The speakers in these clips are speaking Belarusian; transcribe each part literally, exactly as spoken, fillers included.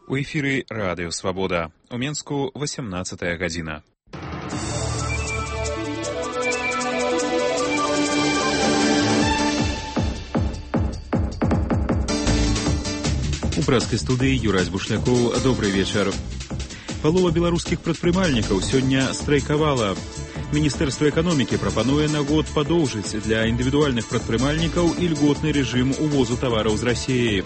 У эфіры Радыё Свабода. У Менску восемнадцатая гадзіна. У прэскай студыі Юрась Бушлякоў. Добрый вечар. Палова беларускіх прадпрымальнікаў сёння страйкавала. Міністэрства эканомікі прапануе на год падоўжыць для індывідуальных прадпрымальнікаў ільготны рэжым увозу тавараў з Расіі.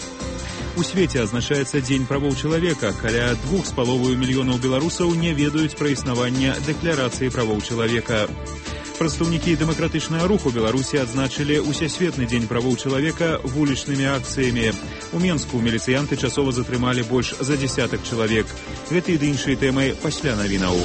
У свеце адзначаецца Дзень правоў чалавека. Каля двух з паловаю мільёнаў беларусаў не ведаюць пра існаванне дэкларацыі правоў чалавека. Прадстаўнікі дэмакратычнага руху Беларусі адзначылі Усесветны дзень правоў чалавека вулічнымі акцыямі. У Менску міліцыянты часова затрымалі больш за дзесятак чалавек. Гэты і іншыя тэмы пасля навінаў.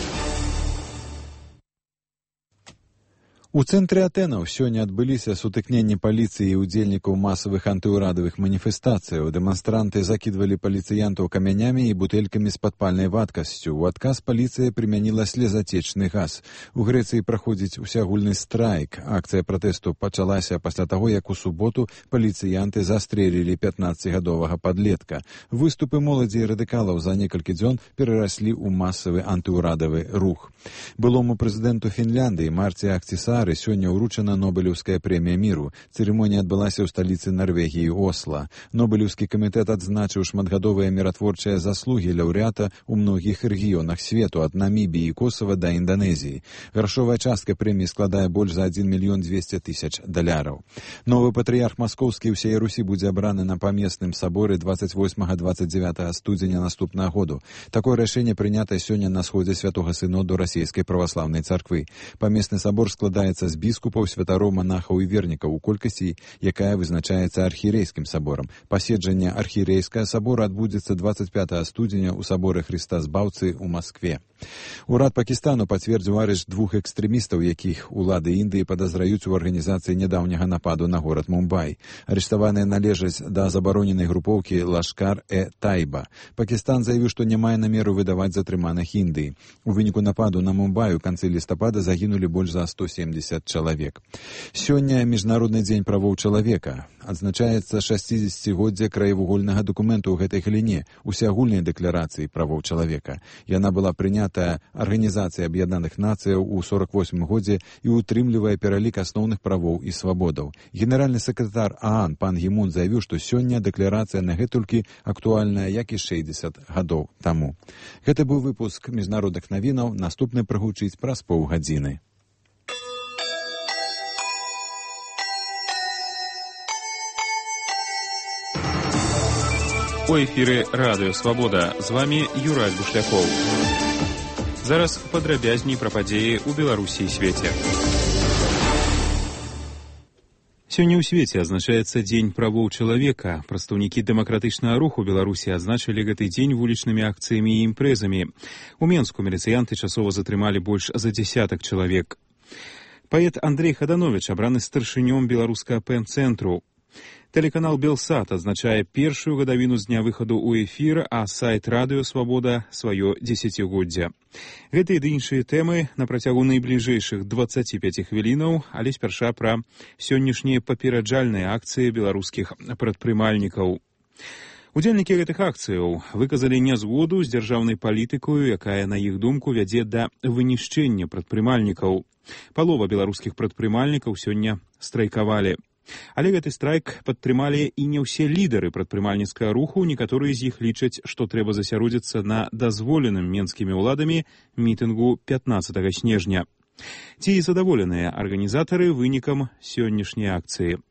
У цэнтры Атэнаў сёння адбыліся сутыкненні паліцыі і ўдзельнікаў масавых антыўрадавых маніфестацыяў. Дэманстранты закідвалі паліцыянтаў камянямі і бутэлькамі з падпальнай вадкасцю. У адказ паліцыя прымяніла слезацечны газ. У Грэцыі праходзіць усеагульны страйк. Акцыя пратэсту пачалася пасля таго, як у суботу паліцыянты застрэлілі пятнаццацігадовага падлетка. Выступы моладзі і радыкалаў за некалькі дзён перараслі ў масавы антыўрадавы рух. Былому прэзідэнту Фінляндыі Марці Ахтисаари сёння ўручана Нобелеўская прэмія міру. Цырымонія адбылася ў сталіцы Нарвегіі Осла. Нобелеўскі камітэт адзначыў шматгадовыя міратворчыя заслугі лаўрэата ў многіх рэгіёнах свету, ад Намібіі і Косава да Інданезіі. Грашовая частка прэміі складае больш за адзін мільён дзвесце тысяч даляраў. Новы патрыярх маскоўскі ўсяе Русі будзе абраны на памесным саборы дваццаць восьмага - дваццаць дзевятага студзеня наступнага году. Такое рашэнне прынята сёння на сходзе святога сыноду расійскай праваслаўнай царквы. Памесны сабор складаецца з біскупаў, святароў, монахаў і вернікаў у колькасці, якая вызначаецца архієрейскім саборам. Паседжанне архієрейскага сабора адбудзецца дваццаць пятага студзеня ў саборы Хрыста Збаўцы ў Маскве. Урад Пакістану пацвердзіў арышт двух экстрэмістаў, якіх улады Індыі падазраюць у арганізацыі нядаўняга нападу на горад Мумбай. Арыштаваныя належаць да забароненай групоўкі Лашкар-э-Тайба. Пакістан заявіў, што не мае намеру выдаваць затрыманых Індыі. У выніку нападу на Мумбай у канцы лістапада загінулі больш за сто семдзесят чалавек. Сёння Міжнародны дзень правоў чалавека. Адзначаецца шасцідзесяцігоддзе краевугольнага дакументу ў гэтай галіне, усеагульнай дэкларацыі правоў чалавека. Яна была прынятая Арганізацыяй Аб'яднаных Нацыяў у сорак восьмым годзе і ўтрымлівае пералік асноўных правоў і свабодаў. Генеральны сакратар ААН пан Гімун заявіў, што сёння дэкларацыя нагэтулькі актуальная, як і шэсцьдзесят гадоў таму. Гэта быў выпуск міжнародных навінаў, наступны прагучыць праз паўгадзіны. У эфіры Радыё Свабода. З вамі Юрась Бушлякоў. Зараз падрабязней пра падзеі ў Беларусі і свеце. Сёння ў свеце адзначаецца Дзень правоў чалавека. Прадстаўнікі дэмакратычнага руху Беларусі адзначылі гэты дзень вулічнымі акцыямі і імпрэзамі. У Менску міліцыянты часова затрымалі больш за дзесятак чалавек. Паэт Андрэй Хадановіч абраны старшынём беларускага пэн-цэнтру. Тэлеканал Белсат адзначае першую гадавіну з дня выхаду ў эфір, а сайт Радыё Свабода сваё дзесяцігоддзе. Гэтыя ды іншыя тэмы на працягу найбліжэйшых дваццаці пяці хвілінаў, але спярша пра сённяшнія папераджальныя акцыі беларускіх прадпрымальнікаў. Удзельнікі гэтых акцыяў выказалі нязгоду з дзяржаўнай палітыкаю, якая, на іх думку, вядзе да вынішчэння прадпрымальнікаў. Палова беларускіх прадпрымальнікаў сёння страйкавалі. Але гэты страйк падтрымалі і не ўсе лідары прадпрымальніцкага руху, некаторыя з іх лічаць, што трэба засяродзіцца на дазволеным менскімі ўладамі мітынгу пятнаццатага снежня. Ці задаволеныя арганізатары вынікам сённяшняй акцыі?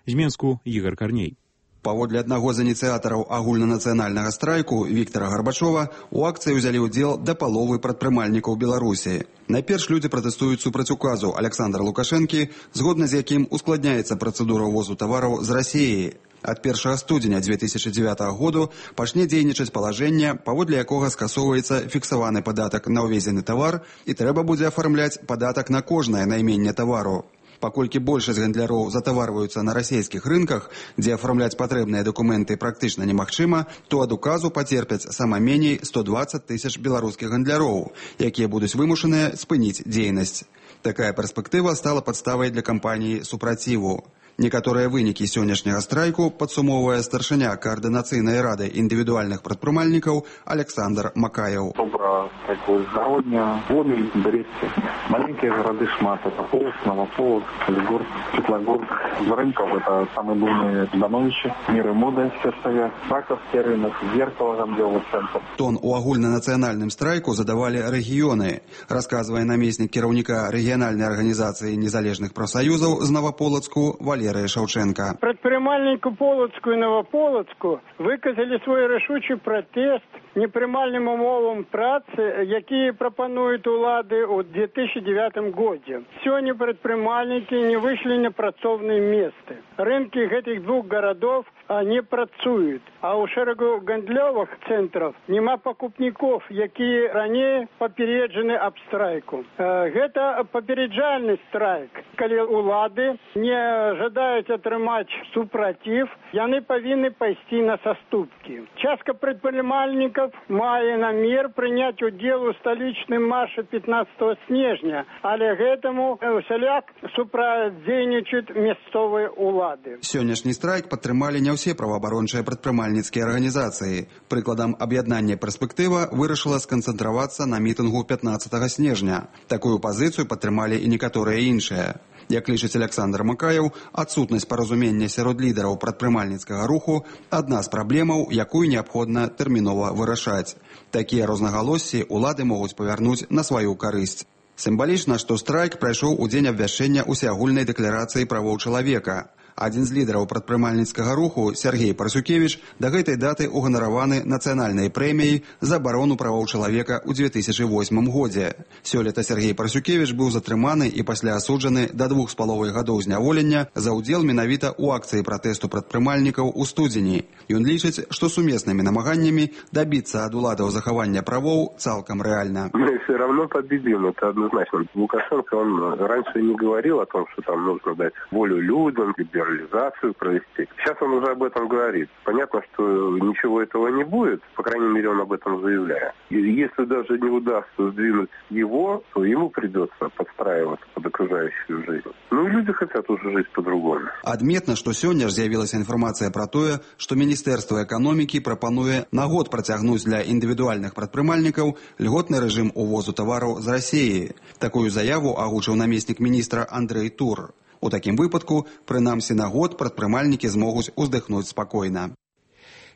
З Менску Ігар Карней. Паводле аднаго з ініцыятараў агульнанацыянальнага страйку Віктара Гарбачова, у акцыі ўзялі ўдзел да паловы прадпрымальнікаў Беларусі. Найперш людзі пратэстуюць супраць указу Аляксандра Лукашэнкі, згодна з якім ускладняецца працэдура ўвозу тавараў з Расіі. Ад першага студзеня дзве тысячы дзевятага году пачне дзейнічаць палажэнне, паводле якога скасоўваецца фіксаваны падатак на ўвезены тавар і трэба будзе афармляць падатак на кожнае найменне тавару. Паколькі большасць гандляроў затаварваюцца на расійскіх рынках, дзе афармляць патрэбныя дакументы практычна немагчыма, то ад указу пацерпяць сама меней сто дваццаць тысяч беларускіх гандляроў, якія будуць вымушаныя спыніць дзейнасць. Такая перспектыва стала падставай для кампаніі супраціву. Некаторыя вынікі сённяшняга страйку падсумоўвае старшыня каардынацыйнай рады індывідуальных прадпрымальнікаў Александр Макаяў. Добра такое згародня, Гомель, Бресце, маленькие города шмат, это Полоцк, Новополоцк, Солигорск, Светлогорск, Рынков, это самые буйные становища, Мир и мода, Сверстовя, Раковский рынок, Зеркало, Гамделов центр. Тон у агульнанацыянальным страйку задавалі рэгіёны, расказвае намеснік кіраўніка рэгіянальнай арганізацыі незалежных прафсаюзаў з Новополоцку Валерия Шаўченка. Прадпрымальніку Полоцку і Новополоцку выказалі свой рашучы пратэст непрымальным умовам працы, якія прапануюць улады ў две тысячи девятым годзе. Сёння прадпрымальнікі не выйшлі на працоўныя месцы. Рынкі гэтых двух гарадоў не працуюць, а ў шэрагу гандлёвых цэнтраў няма пакупнікоў, якія раней папереджаны аб страйку. Гэта папереджальны страйк. Калі улады не жадаюць атрымаць супраціў, яны павінны пайсці на саступкі. Частка прадпрымальнікаў мае намер прыняць удзел у сталічным марше пятнадцатого снежня, але гэтаму усяляк супрацьдзейнічаюць мясцовыя улады. Сённяшні страйк падтрымалі не ўсе праваабарончыя прадпрымальніцкія арганізацыі. Прыкладам, аб'яднанне «Перспектыва» вырашыла сканцэнтравацца на мітынгу пятнадцатого снежня. Такую пазіцыю падтрымалі і некаторыя іншыя. Як лічыць Александр Макаяў, адсутнасць паразумення сярод лідараў прадпрымальніцкага руху – адна з праблемаў, якую неабходна тэрмінова вырашаць. Такія рознагалоссі улады могуць павярнуць на сваю карысць. Сімвалічна, што страйк прайшоў у дзень абвяшчэння усеагульнай дэкларацыі правоў чалавека. Адзін з лідараў прадпрымальніцкага руху, Сергей Парасюкевіч, да гэтай даты уганараваны нацыянальнай прэміяй за абарону правоў чалавека ў две тысячи восьмым годзе. Сёлета Сергей Парасюкевіч быў затрыманы і пасля асуджаны да двух з паловай гадоў зняволення за ўдзел менавіта ў акцыі пратэсту прадпрымальнікаў у студзені. Ён лічыць, што сумеснымі намаганнямі дабіцца ад уладаў захавання правоў цалкам рэальна. Мы все равно победим, это однозначно. Лукашенко, он раньше не говорил о том, что там нужно дать волю людям, реализацию провести. Сейчас он уже об этом говорит. Понятно, что ничего этого не будет, по крайней мере, он об этом заявляет. И если даже не удастся сдвинуть его, то ему придется подстраиваться под окружающую жизнь. Ну и люди хотят уже жить по-другому. Адметна, што сёння ж з'явілася інфармацыя пра тое, што Міністэрства эканомікі прапануе на год працягнуць для індывідуальных прадпрымальнікаў льготны рэжым увозу тавараў з Расіі. Такую заяву агучыў намеснік міністра Андрэй Тур. У такім выпадку, прынамсі на год прадпрымальнікі змогуць уздыхнуць спакойна.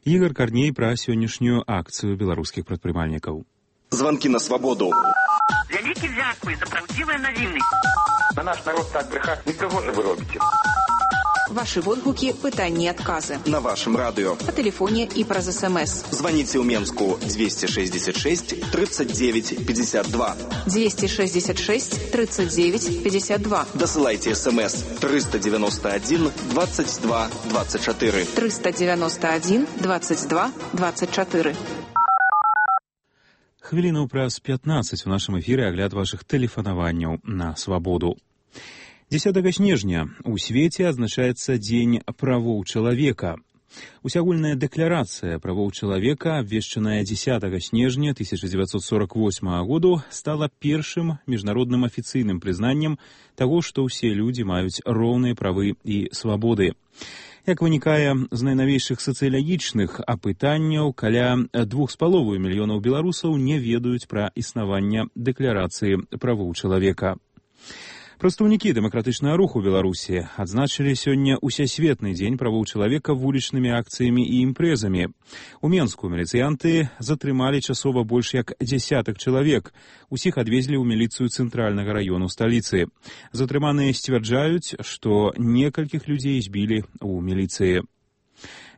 Ігор Карней пра сённяшнюю акцыю беларускіх прадпрымальнікаў. Званкі на свабоду. Вялікі дзякуй за праўдзівыя навіны. На наш народ так брехать никого же вы робите. Ваши водгуки, пытанні, адказы. На вашем радио. По телефоне и праз СМС. Звоните у Менску двести шестьдесят шесть тридцать девять пятьдесят два. двести шестьдесят шесть тридцать девять пятьдесят два. Досылайте СМС триста девяносто один двадцать два двадцать четыре. триста девяносто один двадцать два двадцать четыре. Хвіліну праз пятнадцать у нашым эфіры агляд вашых тэлефанаванняў на свабоду. дзесятага снежня у свеце адзначаецца Дзень правоў чалавека. Усеагульная дэкларацыя правоў чалавека, абвешчаная дзесятага снежня тысяча девятьсот сорок восьмага году, стала першым міжнародным афіцыйным прызнаннем таго, што ўсе людзі маюць роўныя правы і свабоды. Як вынікае з найнавейшых сацыялагічных апытанняў, каля двух з паловай мільёнаў беларусаў не ведаюць пра існаванне дэкларацыі правоў чалавека. Прадстаўнікі дэмакратычнага руху Беларусі адзначылі сёння усесветны дзень правоў чалавека вулічнымі акцыямі і імпрэзамі. У Менску міліцыянты затрымалі часова больш як дзясятак чалавек. Усіх адвезлі ў міліцыю цэнтральнага раёну сталіцы. Затрыманыя сцвярджаюць, што некалькіх людзей збілі ў міліцыі.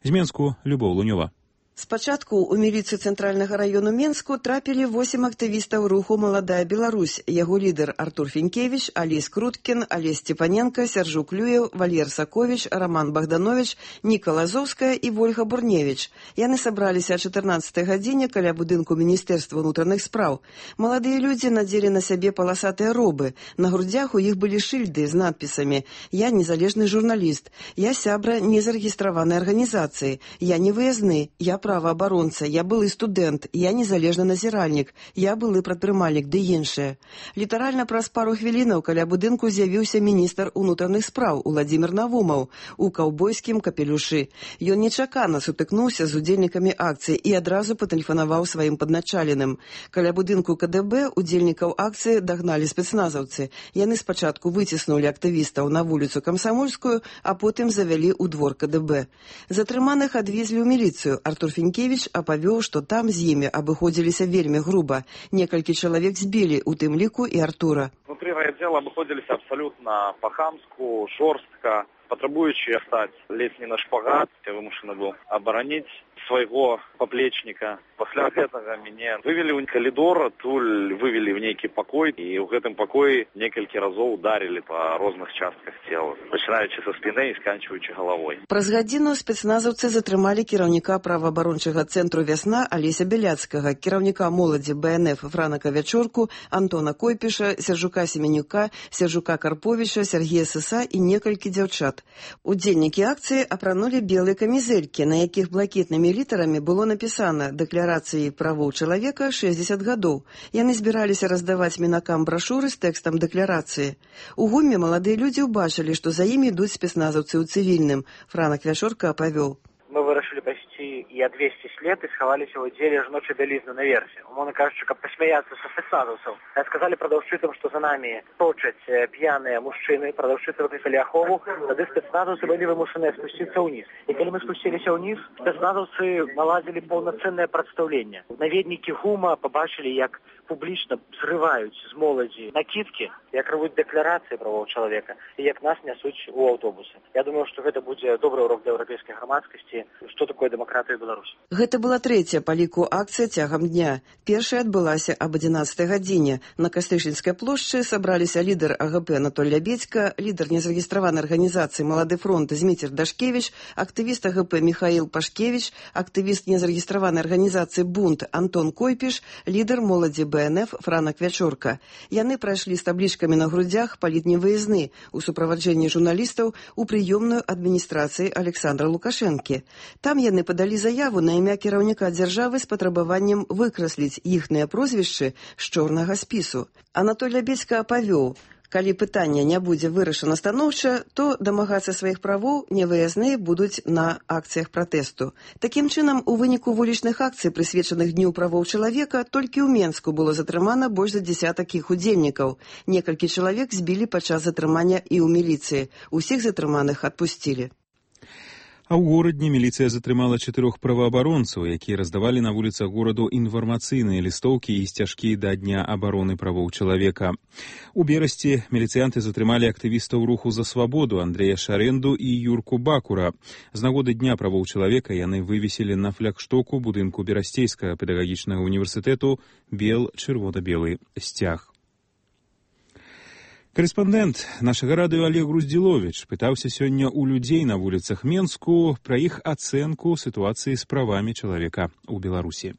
З Менску Любоў Лунёва. Спачатку ў міліцыю цэнтральнага раёну Менску трапілі восем актывістаў руху «Маладая Беларусь». Яго лідар Артур Фенькевіч, Алесь Круткін, Алесь Степаненко, Сяржук Клюев, Валер Саковіч, Роман Богданович, Ніка Лазовская і Вольга Бурневіч. Яны сабраліся о чатырнаццатай гадзіне каля будынку Міністэрства ўнутраных спраў. Маладыя людзі надзелі на сябе паласатыя робы. На грудзях у іх былі шыльды з надпісамі «Я незалежны журналіст», «Я сябра незарэгістраванай арганізацыі», «Я не выязны», «Я праваабаронца, я былы студэнт, я незалежны назіральнік, я былы прадпрымальнік ды іншае. Літаральна праз пару хвілінаў каля будынку з'явіўся міністр унутраных спраў Уладзімір Навумаў у каўбойскім капелюшы. Ён нечакана сутыкнуўся з удзельнікамі акцыі і адразу патэлефанаваў сваім падначаленым. Каля будынку ка дэ бэ удзельнікаў акцыі дагналі спецназаўцы. Яны спачатку выціснулі актывістаў на вуліцу Камсамольскую, а потым завялі ў двор ка дэ бэ. Затрыманых адвезлі ў міліцыю. Артур Фінкевіч апавёў, што там з імі абыходзіліся вельмі груба. Некалькі чалавек збілі, у тым ліку і Артура. Внутри райотдела обходились абсолютно по-хамску, жорстко, потребуючи стать ледь не на шпагат. Я вымушаны был оборонить своего поплечника. После этого меня вывели в коридор, туль вывели в некий покой, и в этом покое несколько разов ударили по разных частках тела, начинаючи со спины и сканчиваючи головой. Праз гадзіну спецназаўцы затрымалі кіраўніка праваабарончага цэнтру «Вясна» Алеся Беляцкага, кіраўніка моладзі бэ эн эф Франака Вячорку, Антона Койпіша, Сержука Семенюка, Сержука Карповіча, Сергея Сыса і некалькі дзяўчат. Удзельнікі акцыі апранулі белыя камізэлькі, на якіх блакітнымі літарамі было напісана «Дэкларацыі правоў чалавека шэсцьдзесят гадоў». Яны збіраліся раздаваць мінакам брашуры з тэкстам дэкларацыі. У гуме маладыя людзі ўбачылі, што за імі ідуць спецназаўцы ў цывільным. Франак Вячорка апавёў. Мы вырашылі пайсці і адвесці след і схаваліся ў аддзеле жаночай бялізны наверсе. Умоўна кажучы, каб пасмяяцца са спецназаўцаў. Сказалі прадаўшчыцам, што за намі точаць п'яныя мужчыны, прадаўшчыцы выклікалі ахову, тады спецназаўцы былі вымушаныя спусціцца ўніз. І калі мы спусціліся ўніз, спецназаўцы наладзілі паўнацэннае прадстаўленне. Наведнікі гума пабачылі, як публічна зрываюць з моладзі накідкі, як рвуць дэкларацыі правоў чалавека і як нас нясуць у аўтобусы. Я думаю, што гэта будзе добры урок для еўрапейскай грамадскасці, што такое дэмакратыя Беларусі. Гэта была трэцяя па ліку акцыя цягам дня. Першая адбылася аб адзінаццатай гадзіне. На Кастышынскай плошчы сабраліся лідар а гэ пэ Анатоль Лябедзька, лідар незарэгістраванай арганізацыі «Малады фронт» Зміцер Дашкевіч, актывіст а гэ пэ Міхаіл Пашкевіч, актывіст незарэгістраванай арганізацыі «Бунт» Антон Койпіш, лідар моладзі бэ эн эф Франак Вячорка. Яны прайшлі з таблічкамі на грудзях палітні выязны у суправаджэнні журналістаў у прыёмную адміністрацыі Александра Лукашэнкі. Там яны падалі заяву на імя кіраўніка дзяржавы з патрабаваннем выкрасліць іхныя прозвішчы з чорнага спісу. Анатоль Лябедзька апавёў, калі пытанне не будзе вырашана станоўча, то дамагацца сваіх правоў невыязныя будуць на акцыях пратэсту. Такім чынам, у выніку вулічных акцый, прысвечаных Дню правоў чалавека, толькі ў Менску было затрымана больш за дзесятак іх удзельнікаў. Некалькі чалавек збілі падчас затрымання і ў міліцыі. Усіх затрыманых адпусцілі. А ў горадні міліцыя затрымала чатырох праваабаронцаў, якія раздавалі на вуліцах гораду інфармацыйныя лістоўкі і сцяжкі да Дня абароны правоў чалавека. У Берасці міліцыянты затрымалі актывістаў руху за свабоду Андрэя Шарэнду і Юрку Бакура. З нагоды Дня правоў чалавека яны вывесілі на флагштоку будынку Берасцейскага педагагічнага універсітэту бел-чырвона-белы сцяг. Корэспандэнт нашага радыё Олег Груздзіловіч пытаўся сёння ў людзей на вуліцах Менску пра іх ацэнку сітуацыі з правамі чалавека ў Беларусі.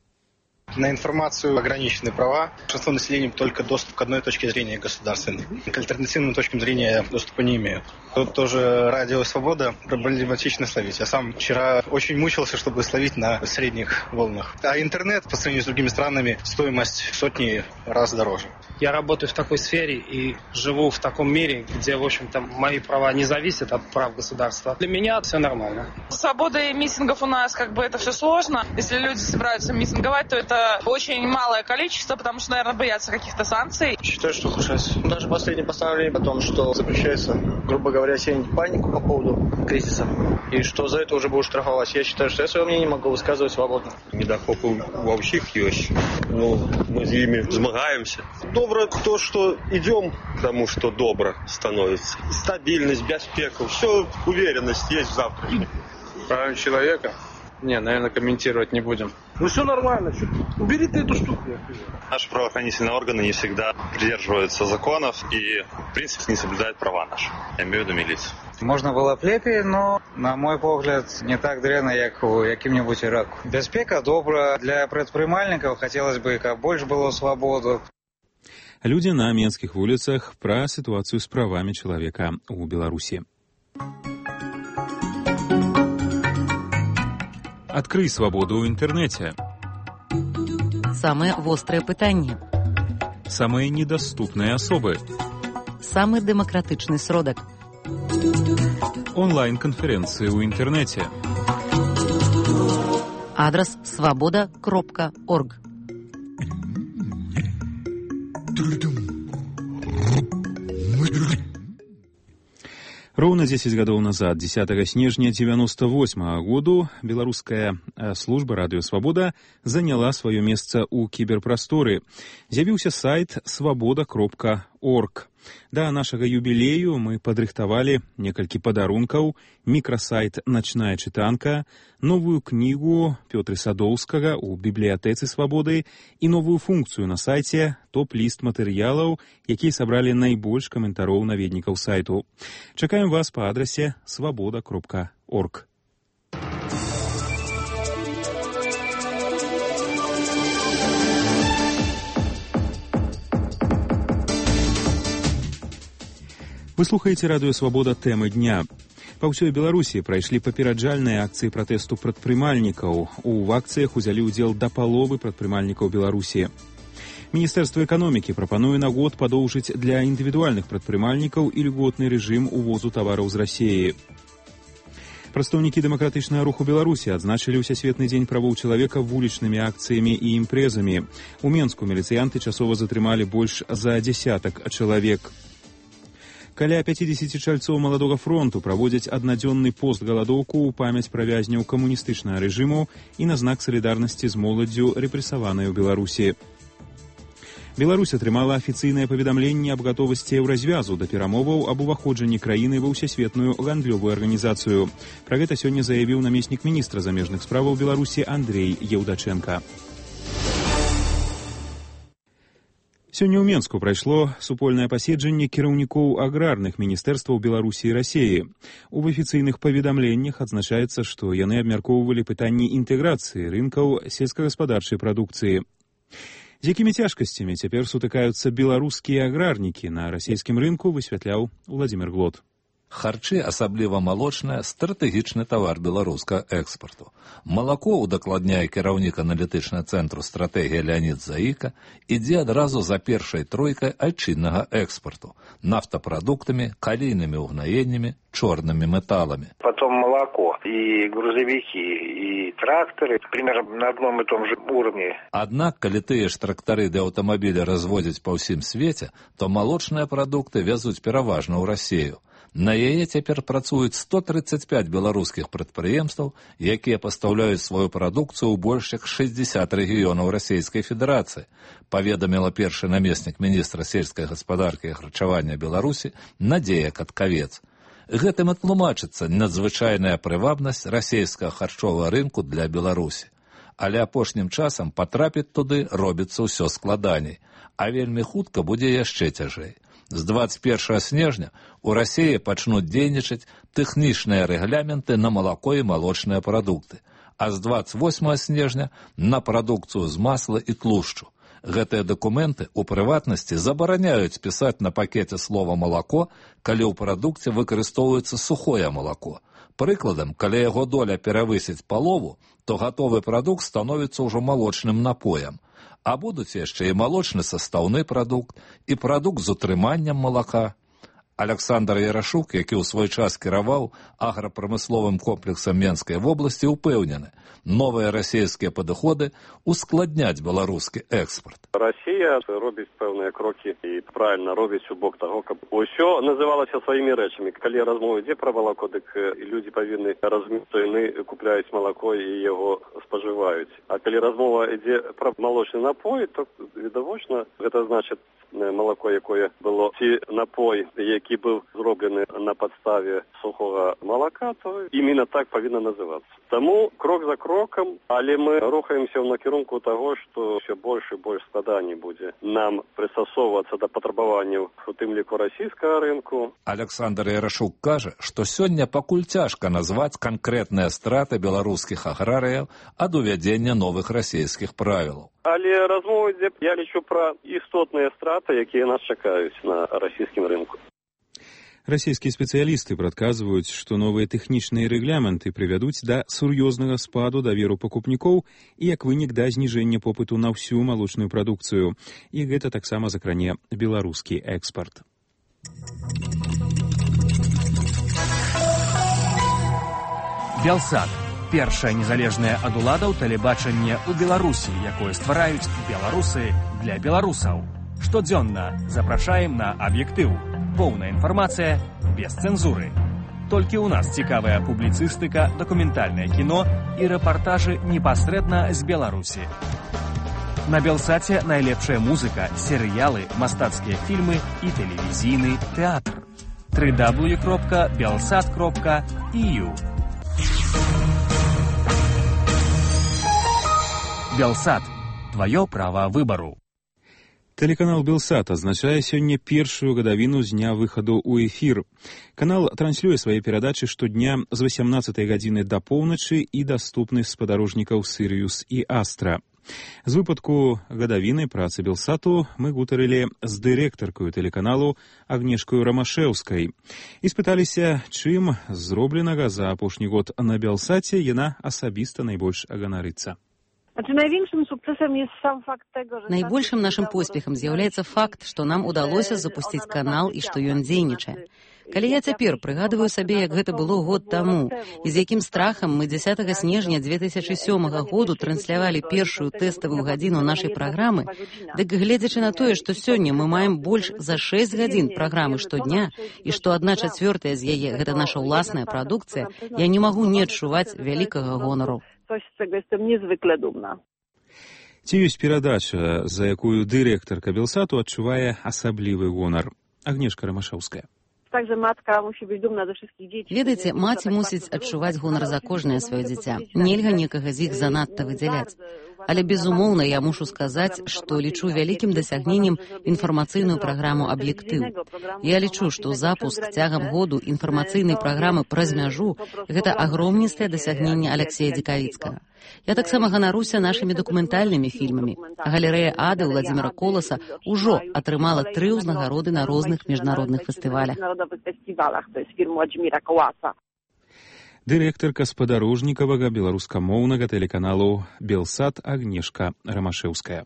На информацию ограничены права. Большинство населения только доступ к одной точке зрения государственной. К альтернативным точкам зрения доступа не имеют. Тут тоже радио «Свобода» проблематично словить. Я сам вчера очень мучился, чтобы словить на средних волнах. А интернет по сравнению с другими странами стоимость сотни раз дороже. Я работаю в такой сфере и живу в таком мире, где, в общем-то, мои права не зависят от прав государства. Для меня все нормально. Свобода митингов у нас, как бы, это все сложно. Если люди собираются митинговать, то это очень малое количество, потому что, наверное, боятся каких-то санкций. Считаю, что ухудшается. Даже последнее постановление о том, что запрещается, грубо говоря, сеять панику по поводу кризиса, и что за это уже будут штрафовать. Я считаю, что я свое мнение могу высказывать свободно. Недахопы во всех есть. Ну, мы с ними змагаемся. Добро то, что идем к тому, что добро становится. Стабильность, беспека, все, уверенность есть в завтра. Права человека? Не, наверное, комментировать не будем. Ну все нормально. Убери ты эту штуку. Наши правоохранительные органы не всегда придерживаются законов и, в принципе, не соблюдают права наши. Я имею в виду милицию. Можна было б лепей, но, на мой погляд, не так дрэнна, як у якім-небудзь Іраку. Бяспека добра. Для прадпрымальнікаў хацелось бы, каб больш было свабоду. Людзі на менскіх вуліцах пра сітуацыю з правамі чалавека ў Беларусі. Адкрый свабоду ў інтэрнэце. Самыя вострыя пытанні. Самыя недаступныя асобы. Самы дэмакратычны сродак. Онлайн-канферэнцыі ў інтэрнэце. Адрас свабода кропка орг. Роўна дзесяць гадоў назад, дзесятага снежня дзевяноста восьмага году, беларуская служба радыё «Свабода» заняла сваё месца ў кіберпрасторы. З'явіўся сайт свабода кропка орг. Да нашага юбілею мы падрыхтавалі некалькі падарункаў, мікрасайт «Начная чытанка», новую кнігу Пётры Садоўскага ў бібліятэцы «Свабоды» і новую функцыю на сайце топ-ліст матэрыялаў, якія сабралі найбольш каментароў наведнікаў сайту. Чакаем вас па адрасе свабода кропка орг. Вы слухаеце радыё «Свабода» тэмы дня. Па ўсёй Беларусі прайшлі папераджальныя акцыі пратэсту прадпрымальнікаў. У акцыях узялі ўдзел да паловы прадпрымальнікаў Беларусі. Міністэрства эканомікі прапануе на год падоўжыць для індывідуальных прадпрымальнікаў ільготны рэжым увозу тавараў з Расіі. Прадстаўнікі дэмакратычнага руху Беларусі адзначылі ўсясветны дзень правоў чалавека вулічнымі акцыямі і імпрэзамі. У Менску міліцыянты часова затрымалі больш за дзясятак чалавек. Каля пяцідзесяці чальцоў маладога фронту праводзяць аднадзённы пост-галадоўку ў памяць пра вязняў камуністычнага рэжыму і на знак салідарнасці з моладдзю, рэпрэсаванай у Беларусі. Беларусь атрымала афіцыйнае паведамленне аб гатовасці еўразвязу да перамоваў аб уваходжанні краіны ва ўсесветную гандлёвую арганізацыю. Пра гэта сёння заявіў намеснік міністра замежных справаў Беларусі Андрэй Еўдачэнка. Сёння ў Менску прайшло супольнае паседжанне кіраўнікоў аграрных міністэрстваў Беларусі і Расіі. У афіцыйных паведамленнях адзначаецца, што яны абмяркоўвалі пытанні інтэграцыі рынкаў сельскагаспадарчай прадукцыі. З якімі цяжкасцямі цяпер сутыкаюцца беларускія аграрнікі на расійскім рынку, высвятляў Владзімир Глод. Харчы, асабліва малочнае, стратэгічны тавар беларускага экспарту. Малако, удакладняе кіраўнік аналітычнага цэнтру стратэгія Леонід Заіка, ідзе адразу за першай тройкай айчыннага экспарту – нафтапрадуктамі, калійнымі ўгнаеннямі, чорнымі металламі. Потом молоко и грузовики, и тракторы примерно на одном и том же уровне. Аднак, калі тыя ж трактары ды аўтамабілі разводзяць па ўсім свеце, то малочныя прадукты вязуць пераважна ў Расію. На яе цяпер працуюць сто трыццаць пяць беларускіх прадпрыемстваў, якія пастаўляюць сваю прадукцыю ў больш як шэсцьдзесят рэгіёнаў Расійскай Федэрацыі, паведаміла першы намеснік міністра сельскай гаспадаркі і харчавання Беларусі Надзея Каткавец. Гэтым і тлумачыцца надзвычайная прывабнасць расійскага харчовага рынку для Беларусі. Але апошнім часам патрапіць туды робіцца ўсё складаней, а вельмі хутка будзе яшчэ цяжэй. З дваццаць першага снежня ў Расіі пачнуць дзейнічаць тэхнічныя рэгляменты на малако і малочныя прадукты, а з дваццаць восьмага снежня на прадукцыю з масла і тлушчу. Гэтыя дакументы, у прыватнасці, забараняюць пісаць на пакеце слова «малако», калі ў прадукце выкарыстоўваецца сухое малако. Прыкладам, калі яго доля перавысіць палову, то гатовы прадукт становіцца ўжо малочным напоем. А будуць яшчэ і малочны састаўны прадукт, і прадукт з утрыманнем малака. Аляксандр Ярашук, які ў свой час кіраваў аграпрамысловым комплексам Менскай вобласці, упэўнены, новыя расійскія падыходы ускладняць беларускі экспарт. Расія робіць пэўныя крокі і правільна робіць у бок таго, каб усё называлася сваімі рэчамі. Калі размова ідзе пра малако, дык людзі павінны разумець, што яны купляюць малако і яго спажываюць. А калі размова ідзе пра малочны напой, то відавочна гэта значыць малако, якое было, ці напой, які быў зроблены на падставе сухога малака, то іменно так павінна называцца. Таму крок за крокам, але мы рухаемся ў накірунку таго, што ўсё больш і больш складаней будзе нам прыстасоўвацца да патрабаванняў, у тым ліку расійскага рынку. Аляксандр Ярашук кажа, што сёння пакуль цяжка назваць канкрэтныя страты беларускіх аграрыяў ад увядзення новых расійскіх правілаў. Але размова ідзе, я лічу, пра істотныя страты, якія нас чакаюць на расійскім рынку. Расійскія спецыялісты прадказваюць, што новыя тэхнічныя рэгламенты прывядуць да сур'ёзнага спаду даверу пакупнікоў і як вынік да зніжэння попыту на ўсю малочную прадукцыю. І гэта таксама закране беларускі экспарт. Белсат. Першае незалежнае ад уладаў тэлебачанне ў Беларусі, якое ствараюць беларусы для беларусаў. Штодзённа запрашаем на аб'ектыў. Поўная інфармацыя без цэнзуры. Толькі ў нас цікавая публіцыстыка, дакументальнае кіно і рэпартажы непасрэдна з Беларусі. На Белсаце найлепшая музыка, серыялы, мастацкія фільмы і тэлевізійны тэатр. дабл ю дабл ю дабл ю кропка белсат кропка і ю. Белсат. Твоё право выбору. Тэлеканал Белсат азначае сёння першую гадавіну з дня выхаду ў эфір. Канал транслюе свае перадачы штодня з васямнаццатай гадзіны да поўначы і даступны спадарожнікаў Сірыюс і Астра. З выпадку гадавіны працы Белсату мы гутарылі з дырэктаркаю тэлеканалу Агнешкаю Рамашэўскай і спыталіся, чым зробленага за апошні год на Белсаце яна асабіста найбольш аганарыцца. Найбольшым нашым поспехам з'яўляецца факт, што нам удалося запусціць канал і што ён дзейнічае. Калі я цяпер прыгадываю сабе, як гэта было год таму, і з якім страхам мы дзясятага снежня дзве тысячы сёмага году транслявалі першую тэставую гадзіну нашай праграмы, дык гледзячы на тое, што сёння мы маем больш за шэсць гадзін праграмы штодня, і што адна чацвёртая з яе гэта наша ўласная прадукцыя, я не магу не адчуваць вялікага гонару. Coś, z czego jestem niezwykle dumna. Ці ёсць перадача, за якую дырэктарка Белсату адчувае асаблівы гонар? Агнешка Рамашэўская. Ведаеце, маці мусіць адчуваць гонар за кожнае сваё дзіця. Нельга некага з іх занадта выдзяляць. Але, безумоўна, я мушу сказаць, што лічу вялікім дасягненнем інфармацыйную праграму «Аб'ектыў». Я лічу, што запуск цягам году інфармацыйнай праграмы «Праз мяжу» – гэта агромністае дасягненне Аляксея Дзекавіцкага. Я таксама ганаруся нашымі дакументальнымі фільмамі. Галерэя Ады Владзіміра Коласа ўжо атрымала тры ўзнагароды на розных міжнародных фестывалях. Дырэктарка спадарожнікавага беларускамоўнага тэлеканалу Белсат Агнешка Рамашэўская.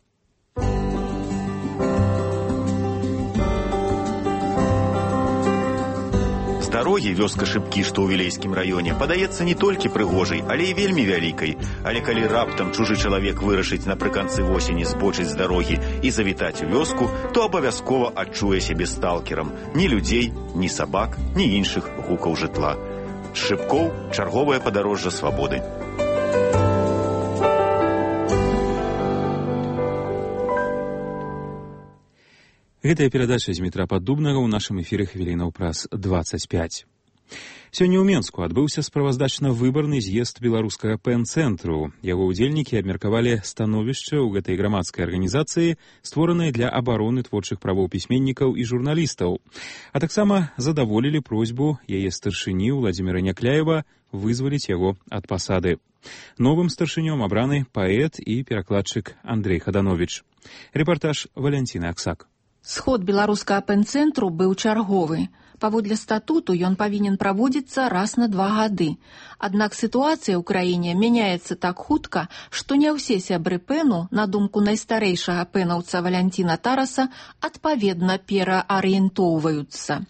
З дарогі вёска Шыбкі, што ў Вілейскім раёне, падаецца не толькі прыгожай, але і вельмі вялікай. Але калі раптам чужы чалавек вырашыць напрыканцы восені збочыць з дарогі і завітаць у вёску, то абавязкова адчуе сябе сталкерам. Ні людзей, ні сабак, ні іншых гукаў жытла. Шыбкоў – чарговае падарожжа свабоды. Гэтая перадача з метра Паддубнага ў нашым эфіры хвілінаў праз дваццаць пяць. Сёння ў Менску адбыўся справаздачна-выбарны з'езд беларускага пэн-цэнтру. Яго ўдзельнікі абмеркавалі становішча ў гэтай грамадскай арганізацыі, створанай для абароны творчых правоў пісьменнікаў і журналістаў, а таксама задаволілі просьбу яе старшыні Владзіміра Някляева вызваліць яго ад пасады. Новым старшынём абраны паэт і перакладчык Андрэй Хадановіч. Рэпартаж Валянціны Аксак. Сход беларускага пэн-цэнтру быў чарговы. Паводле статуту ён павінен праводзіцца раз на два гады. Аднак сітуацыя ў краіне мяняецца так хутка, што не ўсе сябры пэну, на думку найстарэйшага пэнаўца Валянціна Тараса, адпаведна пераарыентоўваюцца.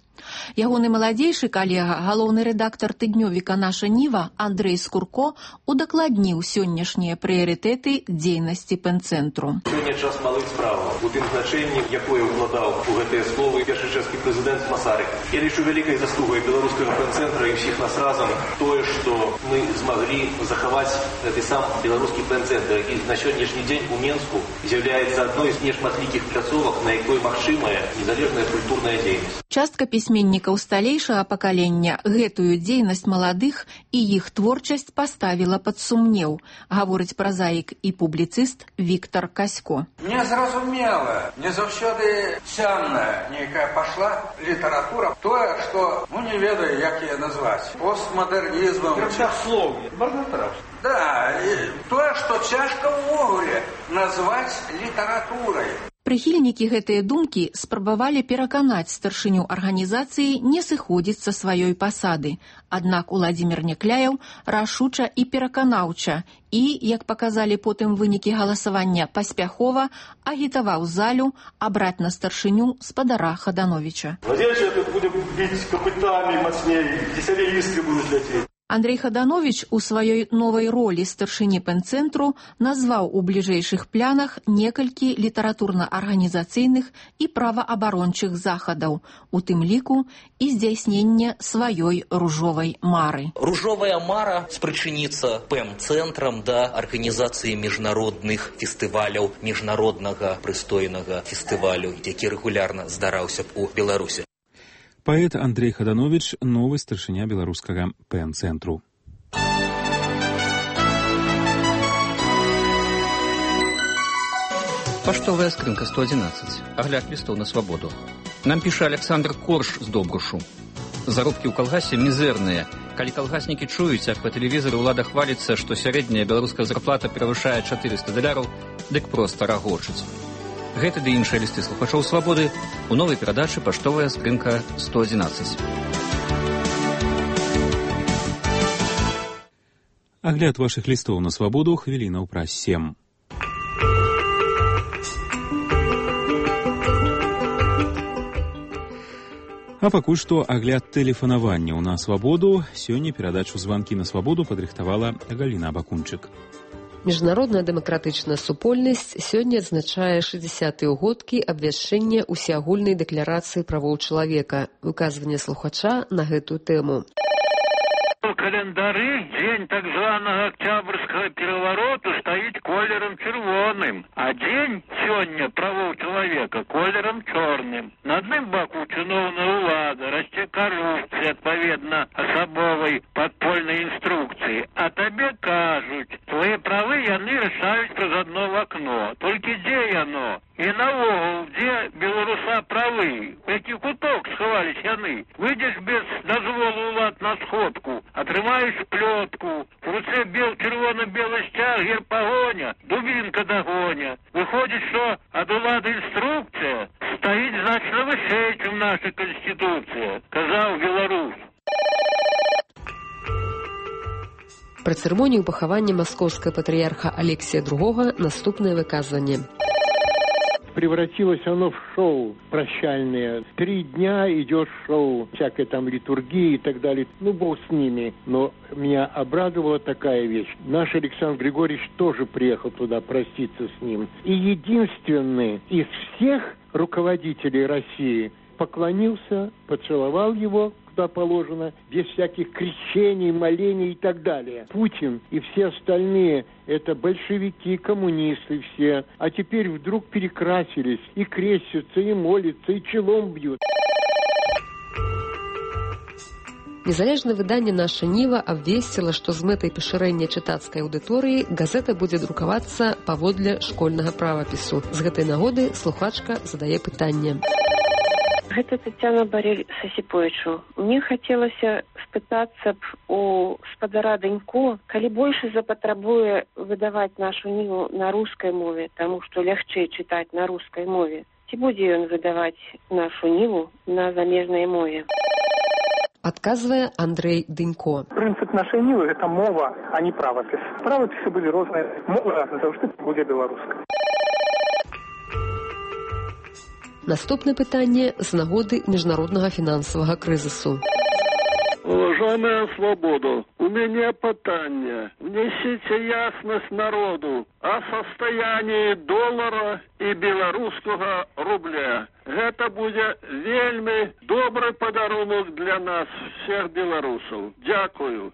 Ягоны маладзейшы калега, галоўны рэдактар тыднёвіка «Наша Ніва» Андрэй Скурко удакладніў сённяшнія прыярытэты дзейнасці пэн-цэнтру. Сёння час малых справаў, у тым значэнні, якое ўкладаў у гэтыя словы першы чэшскі прэзідэнт Масарык. Я лічу вялікай заслугай беларускага пэн-цэнтра і ўсіх нас разам тое, што мы змаглі захаваць гэты сам беларускі пэн-цэнтр, і на сённяшні дзень у Менску з'яўляецца адной з нешматлікіх пляцовак, на якой магчымая незалежная культурная дзейнасць. Частка пісьменнікаў сталейшага пакалення гэтую дзейнасць маладых і іх творчасць паставіла пад сумнеў, гаворыць празаік і публіцыст Віктор Касько. Незразумела, не заўсёды цямная нейкая пашла літаратура, тое, што, ну не ведаю, як яе назваць, постмадэрнізмам. Першаслоўе, марнатараўства. Да, і тое, што цяжка ўвогуле назваць літаратурай. Прыхільнікі гэтыя думкі спрабавалі пераканаць старшыню арганізацыі не сыходзіць са сваёй пасады. Аднак Уладзімір Някляеў рашуча і пераканаўча і, як паказалі потым вынікі галасавання, паспяхова агітаваў залю абраць на старшыню спадара Хадановіча. Владзельча тут будем біць капытамі мацней, весялей іскры будуць ляцець. Андрей Хаданович у сваёй новай ролі старшыні пэнцэнтру назваў у бліжэйшых планах некалькі літаратурна-арганізацыйных і праваабарончых захадаў, у тым ліку і здзяйснення сваёй ружовай мары. Ружовая мара спрычыніцца пэм-цэнтрам да арганізацыі міжнародных фестываляў, міжнароднага прыстойнага фестывалю, які рэгулярна здараўся б у Беларусі. Паэт Андрей Хаданович, новы старшыня беларускага пэн-цэнтру. Паштовая скрынка сто одиннадцать. Агляд лістоў на свабоду. Нам піша Александр Корж з Добрушу. Заробкі ў калгасе мізэрныя. Калі калгаснікі чуюць, як па тэлевізору ўлада хваліцца, што сярэдняя беларуская зарплата перавышае чатырыста даляраў, дык проста рагочуць. Гэты ды іншыя лісты слухачоў свабоды у новай перадачы «Паштовая скрынка сто одиннадцать». Агляд вашых лістоў на свабоду хвілінаў праз сем. А пакуль што агляд тэлефанаванняў на свабоду. Сёння перадачу «Званкі на свабоду» падрыхтавала Галіна Абакунчык. Міжнародная дэмакратычная супольнасць сёння адзначае шэсцідзясятыя ўгодкі абвяшчэння ўсеагульнай дэкларацыі правоў чалавека. Выказванне слухача на гэтую тэму. У календары дзень так званага Октябрьскага перавароту стаіць колерам чырвоным, а дзень сёння правоў чалавека колерам чорным. На адным баку чыноўная ўлада расце карупцыя адпаведна асабовай падпольнай інструкцыі, а табе кажуць, твае правы яны рашаюць праз адно вакно. Толькі дзе яно? І наогул, дзе беларуса правы? У які куток схавались яны? Выйдзеш без дазволу ўлад на сходку, атрымаеш плётку, в руцэ бел чырвона-белы сцяг, герб пагоня, дубінка дагоня. Выходзіць, што ад улады інструкцыя стаіць значна вышэй, чым наша канстытуцыя, казаў беларус. Пры цырымоніі пахавання маскоўскага патрыярха Алексія другога наступнае выказванне. Превратилось оно в шоу прощальное. Три дня идет шоу, всякой там литургии и так далее. Ну, бог с ними. Но меня обрадовала такая вещь. Наш Александр Григорьевич тоже приехал туда проститься с ним. И единственный из всех руководителей России поклонился, поцеловал его, куда положено, без всяких крещений, молений и так далее. Путин и все остальные — это большевики, коммунисты все. А теперь вдруг перекрасились и крестятся, и молятся, и челом бьют. Незалежнае выданне «Наша Ніва» абвесціла, што з мэтай пашырэння чытацкай аўдыторыі газета будзе друкавацца паводле школьнага правапісу. З гэтай нагоды слухачка задае пытанне. Гэта Тетяна Барель Сасіповічу. Мне хацелася спытацца б у спадара Данько, калі больше запатрабуе выдаваць нашу ніву на рускай мове, таму што лягчэй чытаць на рускай мове, ці будзе ён выдаваць нашу ніву на замежнай мове? Адказвае Андрей Данько. Прынцып нашай нівы — гэта мова, а не правапіс. Правапісы былі розныя. Мова заўжды будзе беларускай. Наступнае пытанне з нагоды міжнароднага фінансавага крызісу. Уважаемая свобода, у меня пытанне. Внесите ясность народу о состоянии доллара и белорусского рубля. Это будет вельми добрый подарунок для нас, всех белорусов. Дякую.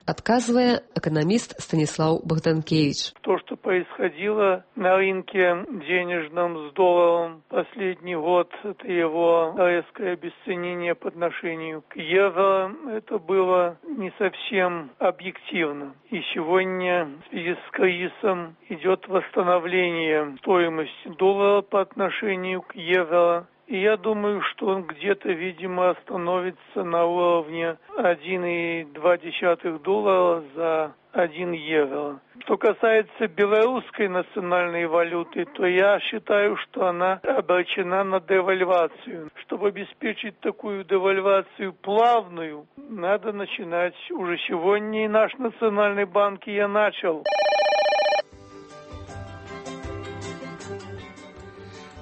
Отказывая, экономист Станислав Богданкевич. То, что происходило на рынке денежном с долларом последний год, это его резкое обесценение по отношению к евро, это было не совсем объективно. И сегодня в связи с кризисом идет восстановление стоимости доллара по отношению к евро. И я думаю, что он где-то, видимо, остановится на уровне один и два десятых доллара за один евро. Что касается белорусской национальной валюты, то я считаю, что она обречена на девальвацию. Чтобы обеспечить такую девальвацию плавную, надо начинать уже сегодня, и наш национальный банк я начал.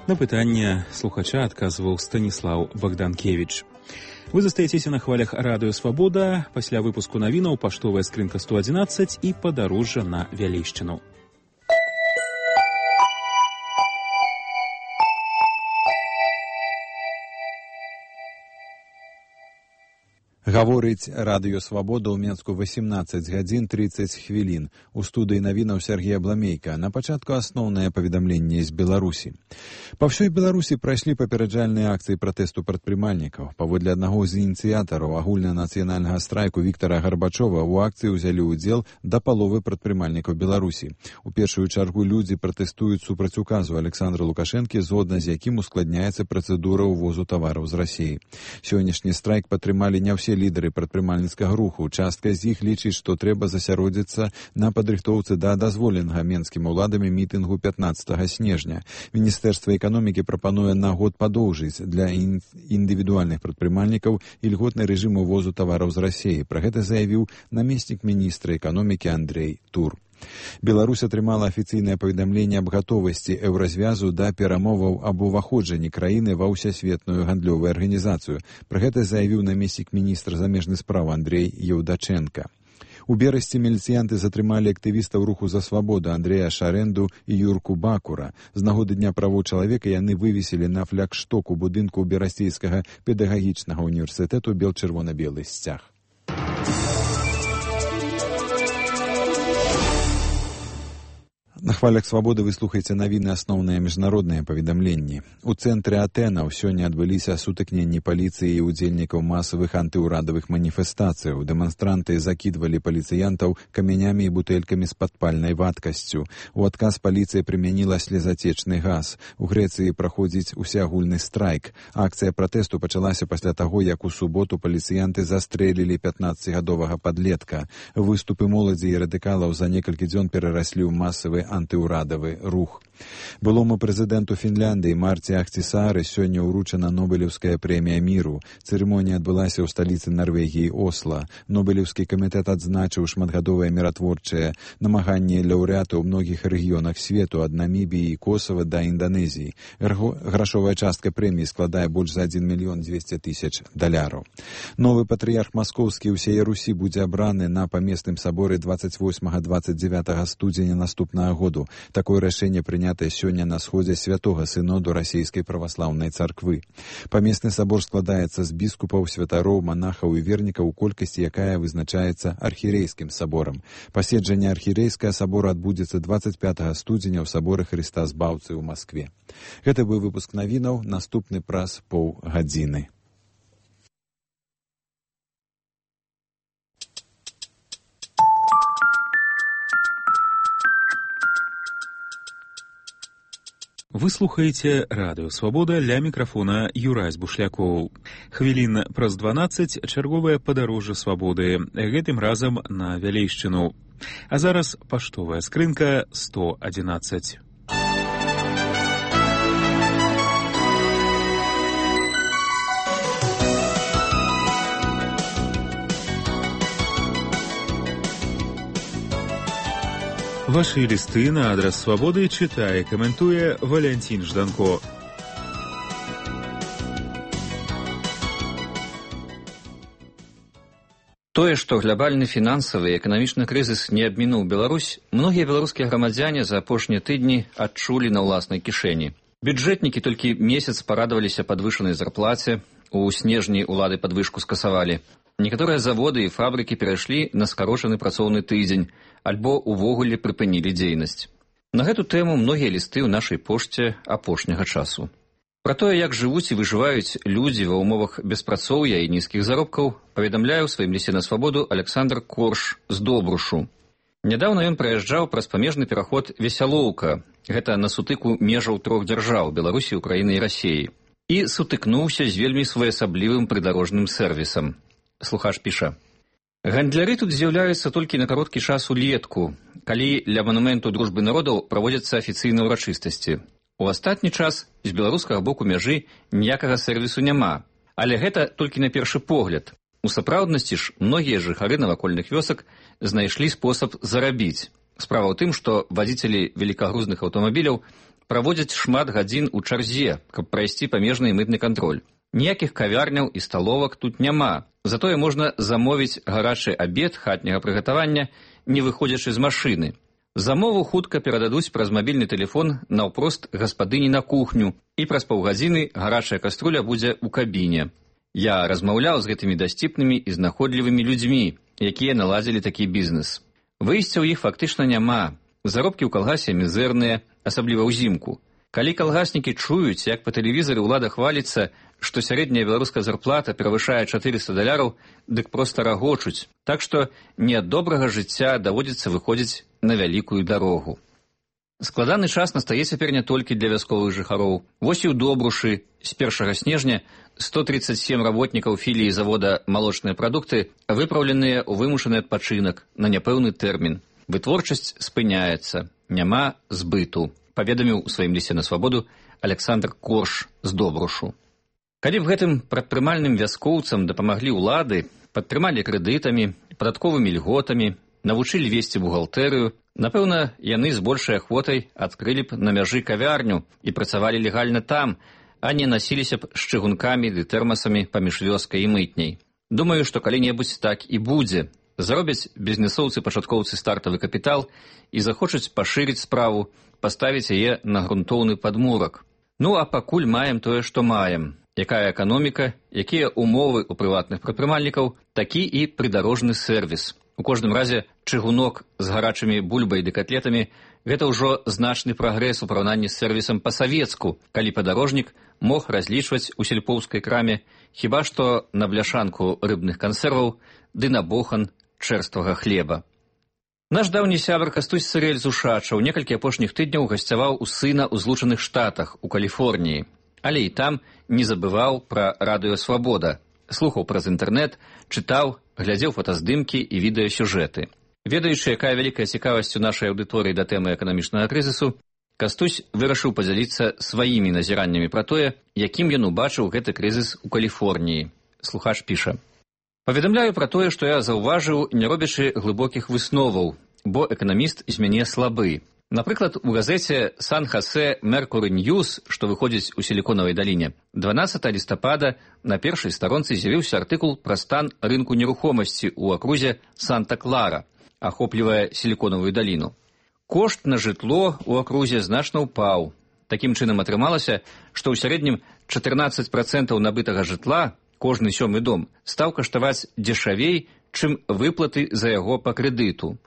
На пытанне слухача адказваў Станіслаў Богданкевич. Вы застаецеся на хвалях радыё «Свабода». Пасля выпуску навінаў паштовая скрынка сто адзінаццаць і падарожжа на Вялейшчыну. Гаворыць радыё «Свабода» ў Менску восемнадцать гадзін тридцать хвілін. У студыі навінаў Сергей Абламейка. На пачатку асноўнае паведамленне з Беларусі. Па ўсёй Беларусі прайшлі папераджальныя акцыі пратэсту прадпрымальнікаў. Паводле аднаго з ініцыятараў агульнанацыянальнага страйку Віктара Гарбачова у акцыі ўзялі ўдзел да паловы прадпрымальнікаў Беларусі. У першую чаргу людзі пратэстуюць супраць указу Александра Лукашэнкі, згодна з якім ускладняецца працэдура ўвозу тавараў з Расіі. Сённяшні страйк падтрымалі не ўсе лідары прадпрымальніцкага руху. Частка з іх лічыць, што трэба засяродзіцца на падрыхтоўцы да дазволенага менскім уладамі мітынгу пятнадцатага снежня. Міністэрства эканомікі прапануе на год падоўжыць для індывідуальных прадпрымальнікаў ільготны рэжым увозу тавараў з Расіі. Пра гэта заявіў намеснік міністра эканомікі Андрей Тур. Беларусь атрымала афіцыйнае паведамленне аб гатовасці еўразвязу да перамоваў аб уваходжанні краіны ва ўсесветную гандлёвую арганізацыю. Пра гэта заявіў намеснік міністра замежных спраў Андрей Еўдачэнка. У Берасці міліцыянты затрымалі актывістаў руху за свабоду Андрэя Шарэнду і Юрку Бакура. З нагоды Дня правоў чалавека яны вывесілі на флагштоку будынку Берасцейскага педагагічнага універсітэту бел-чырвона-белы сцяг. На хвалях «Свабоды» вы слухаеце навіны асноўныя міжнародныя паведамленні. У цэнтры Атэнаў сёння адбыліся сутыкненні паліцыі і удзельнікаў масавых антыўрадавых маніфестацыяў. Дэманстранты закідвалі паліцыянтаў камянямі і бутэлькамі з падпальнай вадкасцю. У адказ паліцыя прымяніла слезацечны газ. У Грэцыі праходзіць усеагульны страйк. Акцыя пратэсту пачалася пасля таго, як у суботу паліцыянты застрэлілі пятнаццацігадовага падлетка. Выступы моладзі і радыкалаў за некалькі дзён перараслі ў масавы антыўрадавы рух. Былому прэзідэнту Фінляндыі Марці Ахтисаары сёння ўручана Нобелеўская прэмія міру. Цырымонія адбылася ў сталіцы Нарвегіі Осла. Нобелеўскі камітэт адзначыў шматгадовыя міратворчыя намаганні лаўрэата ў многіх рэгіёнах свету, ад Намібіі і Косава да Інданезіі. Грашовая частка прэміі складае больш за адзін мільён дзвесце тысяч даляраў. Новы патрыярх маскоўскі ўсяе Русі будзе абраны на памесным саборы двадцать восьмага - двадцать девятага студзеня наступнага году. Такое рашэнне прынятае сёння на сходзе святога сыноду расійскай праваслаўнай царквы. Памесны сабор складаецца з біскупаў, святароў, манахаў і вернікаў у колькасці, якая вызначаецца архірэйскім саборам. Паседжанне архірэйскага сабора адбудзецца двадцать пятага студзеня ў саборы Хрыста Збаўцы ў Маскве. Гэта быў выпуск навінаў, наступны праз паўгадзіны. Вы слухаеце радыё «Свабода», ля мікрафона Юрась Бушлякоў. Хвілін праз дванаццаць чарговае падарожжа свабоды, гэтым разам на Вялейшчыну. А зараз паштовая скрынка сто адзінаццаць. Ваши листы на адрес «Свободы» читая и комментуя Валентин Жданко. Тое, што глобальны фінансавы і эканамічны крызіс не абмінуў Беларусь, многія беларускія грамадзяне за апошнія тыдні адчулі на ўласнай кішэні. Бюджэтнікі толькі месяц парадаваліся падвышанай зарплаце, у снежні ўлады падвышку скасавалі. Некаторыя заводы і фабрыкі перайшлі на скарочаны працоўны тыдзень, альбо увогуле прыпынілі дзейнасць. На гэту тэму многія лісты ў нашай пошце апошняга часу. Пра тое, як жывуць і выжываюць людзі ва ўмовах беспрацоўя і нізкіх заробкаў, паведамляе ў сваім лісце на свабоду Александр Корш з Добрушу. Нядаўна ён праязджаў праз памежны пераход Весялоўка. Гэта на сутыку межаў трох дзяржаў – Беларусі, Украіны і Расіі. і сутыкнуўся з вельмі своеасаблівым прыдарожным сервісам. Слухач піша: «Гандляры тут з'яўляюцца толькі на кароткі час улетку, калі ля манументу дружбы народаў праводзяцца афіцыйныя ўрачыстасці. У астатні час з беларускага боку мяжы ніякага сервісу няма. Але гэта толькі на першы погляд. У сапраўднасці ж многія жыхары навакольных вёсак знайшлі спосаб зарабіць. Справа ў тым, што вадзіцелі великагрузных аўтамабіляў праводзяць шмат гадзін у чарзе, каб прайсці памежны і мытны кантроль. Ніякіх кавярняў і сталовак тут няма. Затое можна замовіць гарачы абед хатняга прыгатавання, не выходзячы з машыны. Замову хутка перададуць праз мабільны тэлефон наўпрост гаспадыні на кухню, і праз паўгадзіны гарачая каструля будзе ў кабіне. Я размаўляў з гэтымі дасціпнымі і знаходлівымі людзьмі, якія наладзілі такі бізнес. Выйсця ў іх фактычна няма. Заробкі ў калгасе мізэрныя, асабліва ўзімку. Калі калгаснікі чуюць, як па тэлевізары ўлада хваліцца, што сярэдняя беларуская зарплата перавышае чатырыста даляраў, дык проста рагочуць. Так што не ад добрага жыцця даводзіцца выходзіць на вялікую дарогу. Складаны час настае цяпер не толькі для вясковых жыхароў. Вось і ў Добрушы з першага снежня сто тридцать семь работнікаў філіі завода «Малочныя прадукты» выпраўленыя ў вымушаны адпачынак на няпэўны тэрмін. Вытворчасць спыняецца, няма збыту, паведаміў у сваім лісце на свабоду Александр Корш з Добрушу. Калі б гэтым прадпрымальным вяскоўцам дапамаглі ўлады, падтрымалі крэдытамі, падатковымі льготамі, навучылі весці бухгалтэрыю, напэўна, яны з большай ахвотай адкрылі б на мяжы кавярню і працавалі легальна там, а не насіліся б з чыгункамі ды тэрмасамі паміж вёскай і мытняй. Думаю, што калі-небудзь так і будзе. Заробяць бізнесоўцы-пачаткоўцы стартавы капітал і захочуць пашырыць справу, паставіць яе на грунтоўны падмурак. Ну, а пакуль маем тое, што маем. Якая эканоміка, якія умовы ў прыватных прадпрымальнікаў, такі і прыдарожны сервіс. У кожным разе чыгунок з гарачымі бульбай ды катлетамі – гэта ўжо значны прагрэс у параўнанні з сервісам па-савецку, калі падарожнік мог разлічваць у сельпоўскай краме хіба што на бляшанку рыбных кансерваў ды на бохан чэрствага хлеба. Наш даўні сябар Кастусь Сырэль з Ушачаў некалькі апошніх тыдняў гасцяваў у сына ў Злучаных Штатах, у Каліфорніі. Але і там не забываў пра радыё «Свабода». Слухаў праз інтэрнэт, чытаў, глядзеў фотаздымкі і відэасюжэты. Ведаючы, якая вялікая цікавасць у нашай аўдыторыі да тэмы эканамічнага крызісу, Кастусь вырашыў падзяліцца сваімі назіраннямі пра тое, якім ён убачыў гэты крызіс у Каліфорніі. Слухач піша: «Паведамляю пра тое, што я заўважыў, не робячы глыбокіх высноваў, бо эканаміст з мяне слабы. Напрыклад, у газеце «Сан-Хасе Меркуры Ньюс», што выходзіць у Сіліконавай даліне, дванаццатага лістапада на першай старонцы з'явіўся артыкул пра стан рынку нерухомасці ў акрузе Санта-Клара, ахоплівае Сіліконавую даліну. Кошт на жытло ў акрузе значна ўпаў. Такім чынам атрымалася, што ў сярэднім чатырнаццаць працэнтаў набытага жытла, кожны сёмы дом, стаў каштаваць дзешавей, чым выплаты за яго па крэдыту.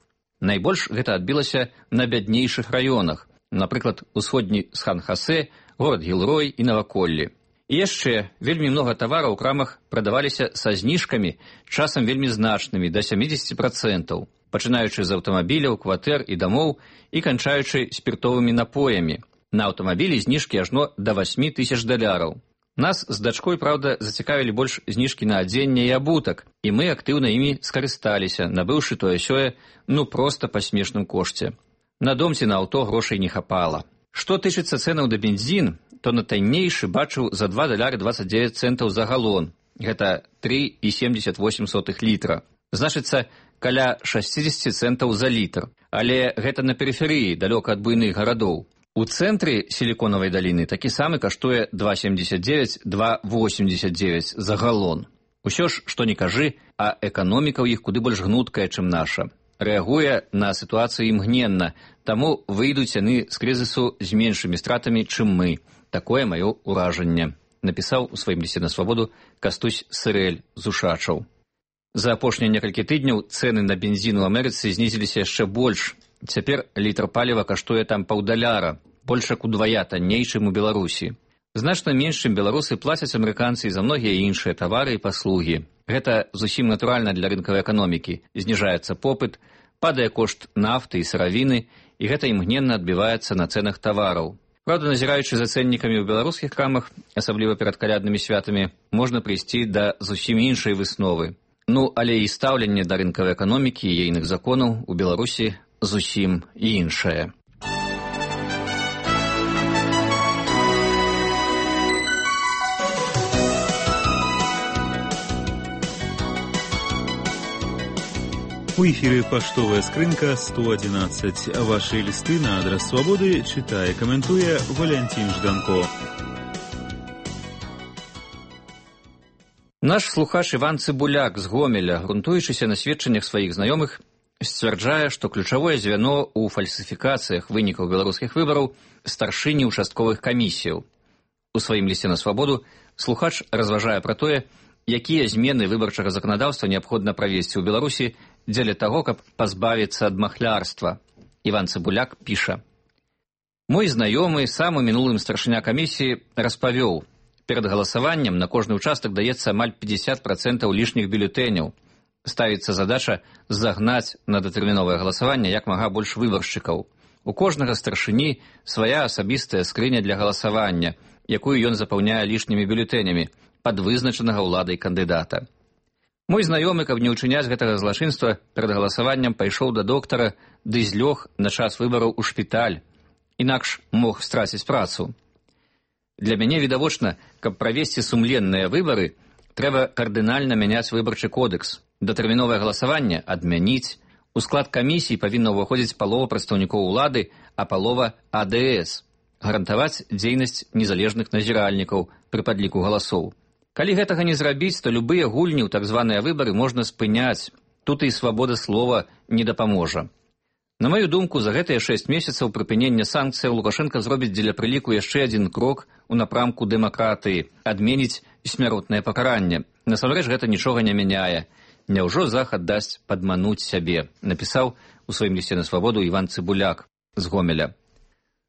Найбольш гэта адбілася на бяднейшых раёнах, напрыклад, усходні Сан-Хасе, горад Гілрой і наваколлі. І яшчэ вельмі многа тавараў у крамах прадаваліся са зніжкамі, часам вельмі значнымі, да сямідзесяці працэнтаў, пачынаючы з аўтамабіляў, кватэр і дамоў і канчаючы спіртовымі напоямі. На аўтамабілі зніжкі ажно да васьмі тысяч даляраў. Нас з дачкой, праўда, зацікавілі больш зніжкі на адзенне і абутак, і мы актыўна імі скарысталіся, набыўшы тое-сёе, ну проста па смешным кошце. На дом ці на аўто грошай не хапала. Што тычыцца цэнаў да бензін, то на таннейшы бачыў за два даляры дваццаць дзевяць цэнтаў за галон. Гэта тры і семдзесят восемь сотых літра. Значыцца, каля шасцідзесят цэнтаў за літр. Але гэта на перыферыі, далёка ад буйных гарадоў. У цэнтры Сіліконавай даліны такі самы каштуе два семдзесят дзевяць - два восемьдесят дзевяць за галон. Усё ж, што не кажы, а эканоміка ў іх куды больш гнуткая, чым наша. Рэагуе на сітуацыю імгненна, таму выйдуць яны з крызісу з меншымі стратамі, чым мы. Такое маё ўражанне, напісаў у сваім лісце на свабоду Кастусь Сырэль з Ушачаў. За апошнія некалькі тыдняў цэны на бензін у Амерыцы знізіліся яшчэ больш. Цяпер літр паліва каштуе там паўдаляра, больш як удвая танней, чым у Беларусі. Значна менш, чым беларусы, плацяць амерыканцы і за многія іншыя тавары і паслугі. Гэта зусім натуральна для рынкавай эканомікі. Зніжаецца попыт, падае кошт нафты і сыравіны, і гэта імгненна адбіваецца на цэнах тавараў. Праўда, назіраючы за цэннікамі ў беларускіх крамах, асабліва перад каляднымі святамі, можна прыйсці да зусім іншай высновы. Ну, але і стаўленне да рынкавай эканомікі і ейных законаў у Беларусі зусім іншае. У эфире «Поштовая скрынка» сто одиннадцать. Ваши листы на адрес «Свободы» читая, комментуя Валентин Жданко. Наш слухач Іван Цыбуляк з Гомеля, грунтуючыся на сведчаннях сваіх знаёмых, сцвярджае, што ключавое звяно ў фальсіфікацыях вынікаў беларускіх выбараў старшыні участковых камісіяў. У сваім лісце на «Свабоду» слухач разважае пра тое, якія змены выбарчага заканадаўства неабходна правесці ў Беларусі дзеля таго, каб пазбавіцца ад махлярства. Іван Цыбуляк піша: «Мой знаёмы, самы мінулым старшыня камісіі, распавёў, перад галасаваннем на кожны ўчастак даецца амаль пятьдесят процентов лішніх бюлетэняў. Ставіцца задача загнаць на датэрміновае галасаванне як мага больш выбаршчыкаў. У кожнага старшыні свая асабістая скрыня для галасавання, якую ён запаўняе лішнімі бюлетэнямі пад вызначанага ўладай кандыдата. Мой знаёмы, каб не ўчыняць гэтага злачынства, перад галасаваннем пайшоў да доктара, ды злёг на час выбараў у шпіталь, інакш мог страціць працу. Для мяне відавочна, каб правесці сумленныя выбары, трэба кардынальна мяняць выбарчы кодекс. Датэрміновае галасаванне адмяніць. У склад камісій павінна ўваходзіць палова прадстаўнікоў улады, а палова А Д С. Гарантаваць дзейнасць незалежных назіральнікаў пры падліку галасоў. Калі гэтага не зрабіць, то любыя гульні ў так званыя выбары можна спыняць. Тут і свабода слова не дапаможа. На маю думку, за гэтыя шэсць месяцаў прыпынення санкцыяў Лукашенко зробіць дзеля прыліку яшчэ адзін крок у напрамку дэмакратыі, адменіць смяротнае пакаранне. Насамрэч гэта нічога не мяняе. Няўжо захад дасць падмануць сябе, напісаў у сваім лісце на «Свабоду» Іван Цыбуляк з Гомеля.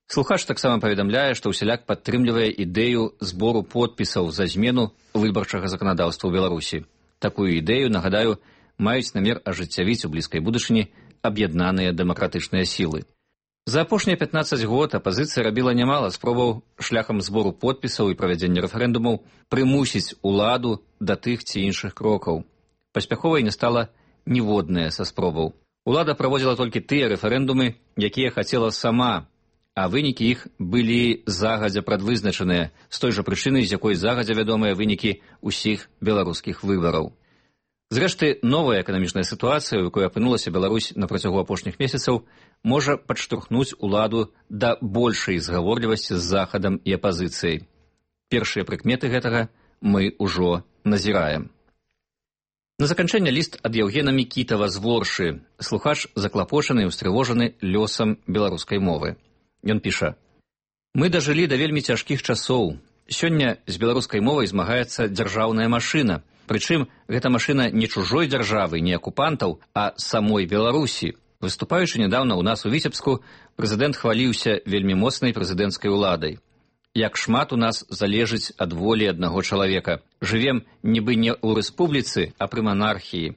Слухач таксама паведамляе, што ўсяляк падтрымлівае ідэю збору подпісаў за змену выбарчага заканадаўства ў Беларусі. Такую ідэю, нагадаю, маюць намер ажыццявіць у блізкай будучыні аб'яднаныя дэмакратычныя сілы. За апошнія пятнаццаць год апазіцыя рабіла нямала спробаў шляхам збору подпісаў і правядзення рэферэндумаў прымусіць уладу да тых ці іншых крокаў. Паспяховай не стала ніводная са спробаў. Улада праводзіла толькі тыя рэферэндумы, якія хацела сама, а вынікі іх былі загадзя прадвызначаныя, з той жа прычыны, з якой загадзя вядомыя вынікі ўсіх беларускіх выбараў. Зрэшты, новая эканамічная сітуацыя, у якой апынулася Беларусь на працягу апошніх месяцаў, можа падштурхнуць уладу да большай згаворлівасці з захадам і апазіцыяй. Першыя прыкметы гэтага мы ўжо назіраем. На заканчэнне ліст ад Яўгена Мікітава з Воршы. Слухач заклапочаны і устрывожаны лёсам беларускай мовы. Ён піша: «Мы дажылі да вельмі цяжкіх часоў. Сёння з беларускай мовай змагаецца дзяржаўная машына. Прычым, гэта машына не чужой дзяржавы, не акупантаў, а самой Беларусі. Выступаючы нядаўна ў нас у Віцебску, прэзідэнт хваліўся вельмі моцнай прэзідэнцкай уладай. Як шмат у нас залежыць ад волі аднаго чалавека. Жывем нібы не ў рэспубліцы, а пры манархіі.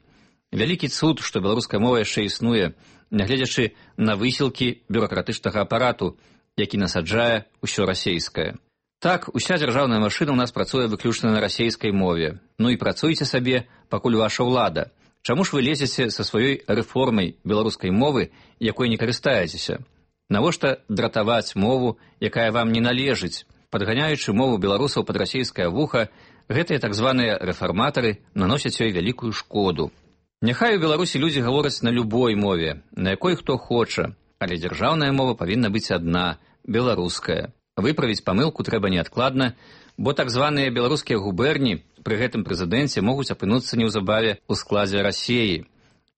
Вялікі цуд, што беларуская мова яшчэ існуе, нягледзячы на высілкі бюракратычнага апарату, які насаджае ўсё расейскае. Так, уся дзяржаўная машына ў нас працуе выключна на расейскай мове. Ну і працуйце сабе, пакуль ваша ўлада. Чаму ж вы лезеце са сваёй рэформай беларускай мовы, якой не карыстаецеся? Навошта дратаваць мову, якая вам не належыць? Падганяючы мову беларусаў пад расейскае вуха, гэтыя так званыя рэфарматары наносяць ёй вялікую шкоду. Няхай у Беларусі людзі гавораць на любой мове, на якой хто хоча, але дзяржаўная мова павінна быць адна, беларуская. Выправіць памылку трэба неадкладна, бо так званыя беларускія губерні пры гэтым прэзідэнце могуць апынуцца неўзабаве ў складзе Расеі.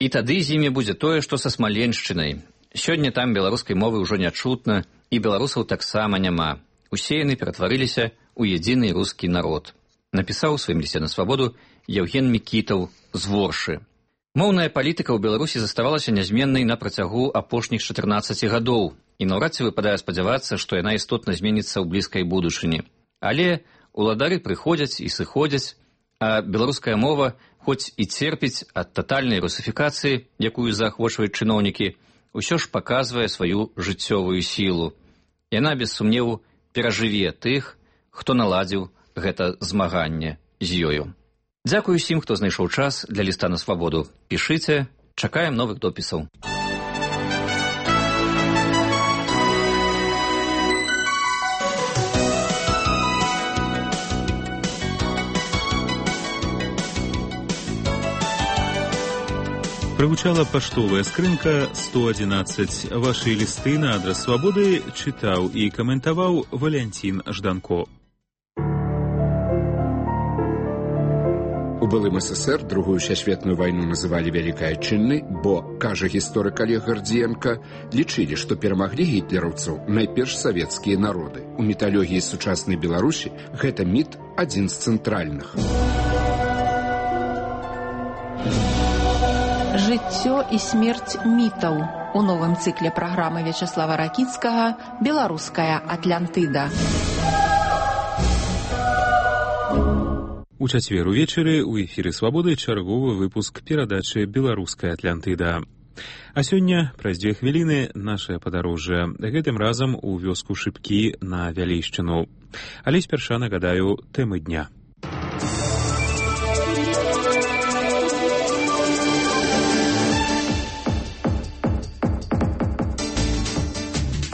І тады з імі будзе тое, што са Смаленшчынай. Сёння там беларускай мовы ўжо не чутна, і беларусаў таксама няма. Усе яны ператварыліся ў едзіны рускі народ. Напісаў у сваім лісце на «Свабоду» Яўген Мікітаў з Воршы. Моўная палітыка ў Беларусі заставалася нязменнай на працягу апошніх чатырнаццаці гадоў, і наўрад ці выпадае спадзявацца, што яна істотна зменіцца ў блізкай будучыні. Але уладары прыходзяць і сыходзяць, а беларуская мова, хоць і церпіць ад татальнай русифікацыі, якую заахвочваюць чыноўнікі, усё ж паказвае сваю жыццёвую сілу. Яна, без сумневу, перажыве тых, хто наладзіў гэта змаганне з ёю. Дзякую усім, хто знайшоў час для ліста на свабоду. Пішыце, чакаем новых допісаў. Прагучала паштовая скрынка сто адзінаццаць. Вашы лісты на адрас свабоды чытаў і каментаваў Валянцін Жданко. У былым СССР другую сусветную вайну называлі вялікай адчыннай, бо, кажа гісторык Олег Гардзіенка, лічылі, што перамаглі гітлераўцаў найперш савецкія народы. У міталогіі сучаснай Беларусі гэта міт адзін з цэнтральных. Жыццё і смерць мітаў у новым цыкле праграмы Вячаслава Ракіцкага «Беларуская Атлантыда». У чацвер увечары ў эфіры «Свабоды» чарговы выпуск перадачы «Беларуская Атлантыда». А сёння, праз дзве хвіліны, нашае падарожжа. Гэтым разам у вёску Шыпкі на Вялейшчыну. Але спярша нагадаю тэмы дня.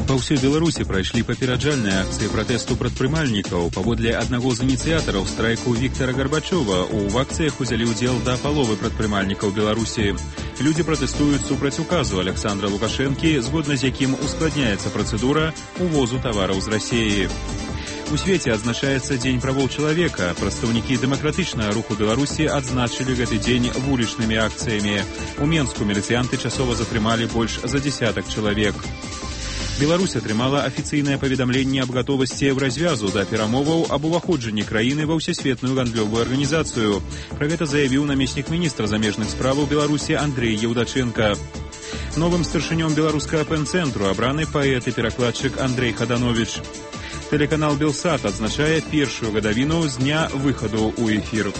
Па ўсёй Беларусі прайшлі папераджальныя акцыі пратэсту прадпрымальнікаў. Паводле аднаго з ініцыятараў страйку Віктара Гарбачова, у акцыях узялі ўдзел да паловы прадпрымальнікаў Беларусі. Людзі пратэстуюць супраць указу Александра Лукашэнкі, згодна з якім ускладняецца працэдура увозу тавараў з Расіі. У свеце адзначаецца Дзень правоў чалавека. Прадстаўнікі дэмакратычнага руху Беларусі адзначылі гэты дзень вулічнымі акцыямі. У Менску міліцыянты часова затрымалі больш за дзесятак чалавек. Беларусь атрымала афіцыйнае паведамленне аб гатовасці развязу да перамоваў аб уваходжанні краіны ва ўсесветную гандлёвую арганізацыю. Пра гэта заявіў намеснік міністра замежных справаў Беларусі Андрэй Еўдачэнка. Новым старшынём беларускага пэн-цэнтру абраны паэт і перакладчык Андрэй Хадановіч. Тэлеканал «Белсат» адзначае першую гадавіну з дня выхаду ў эфір.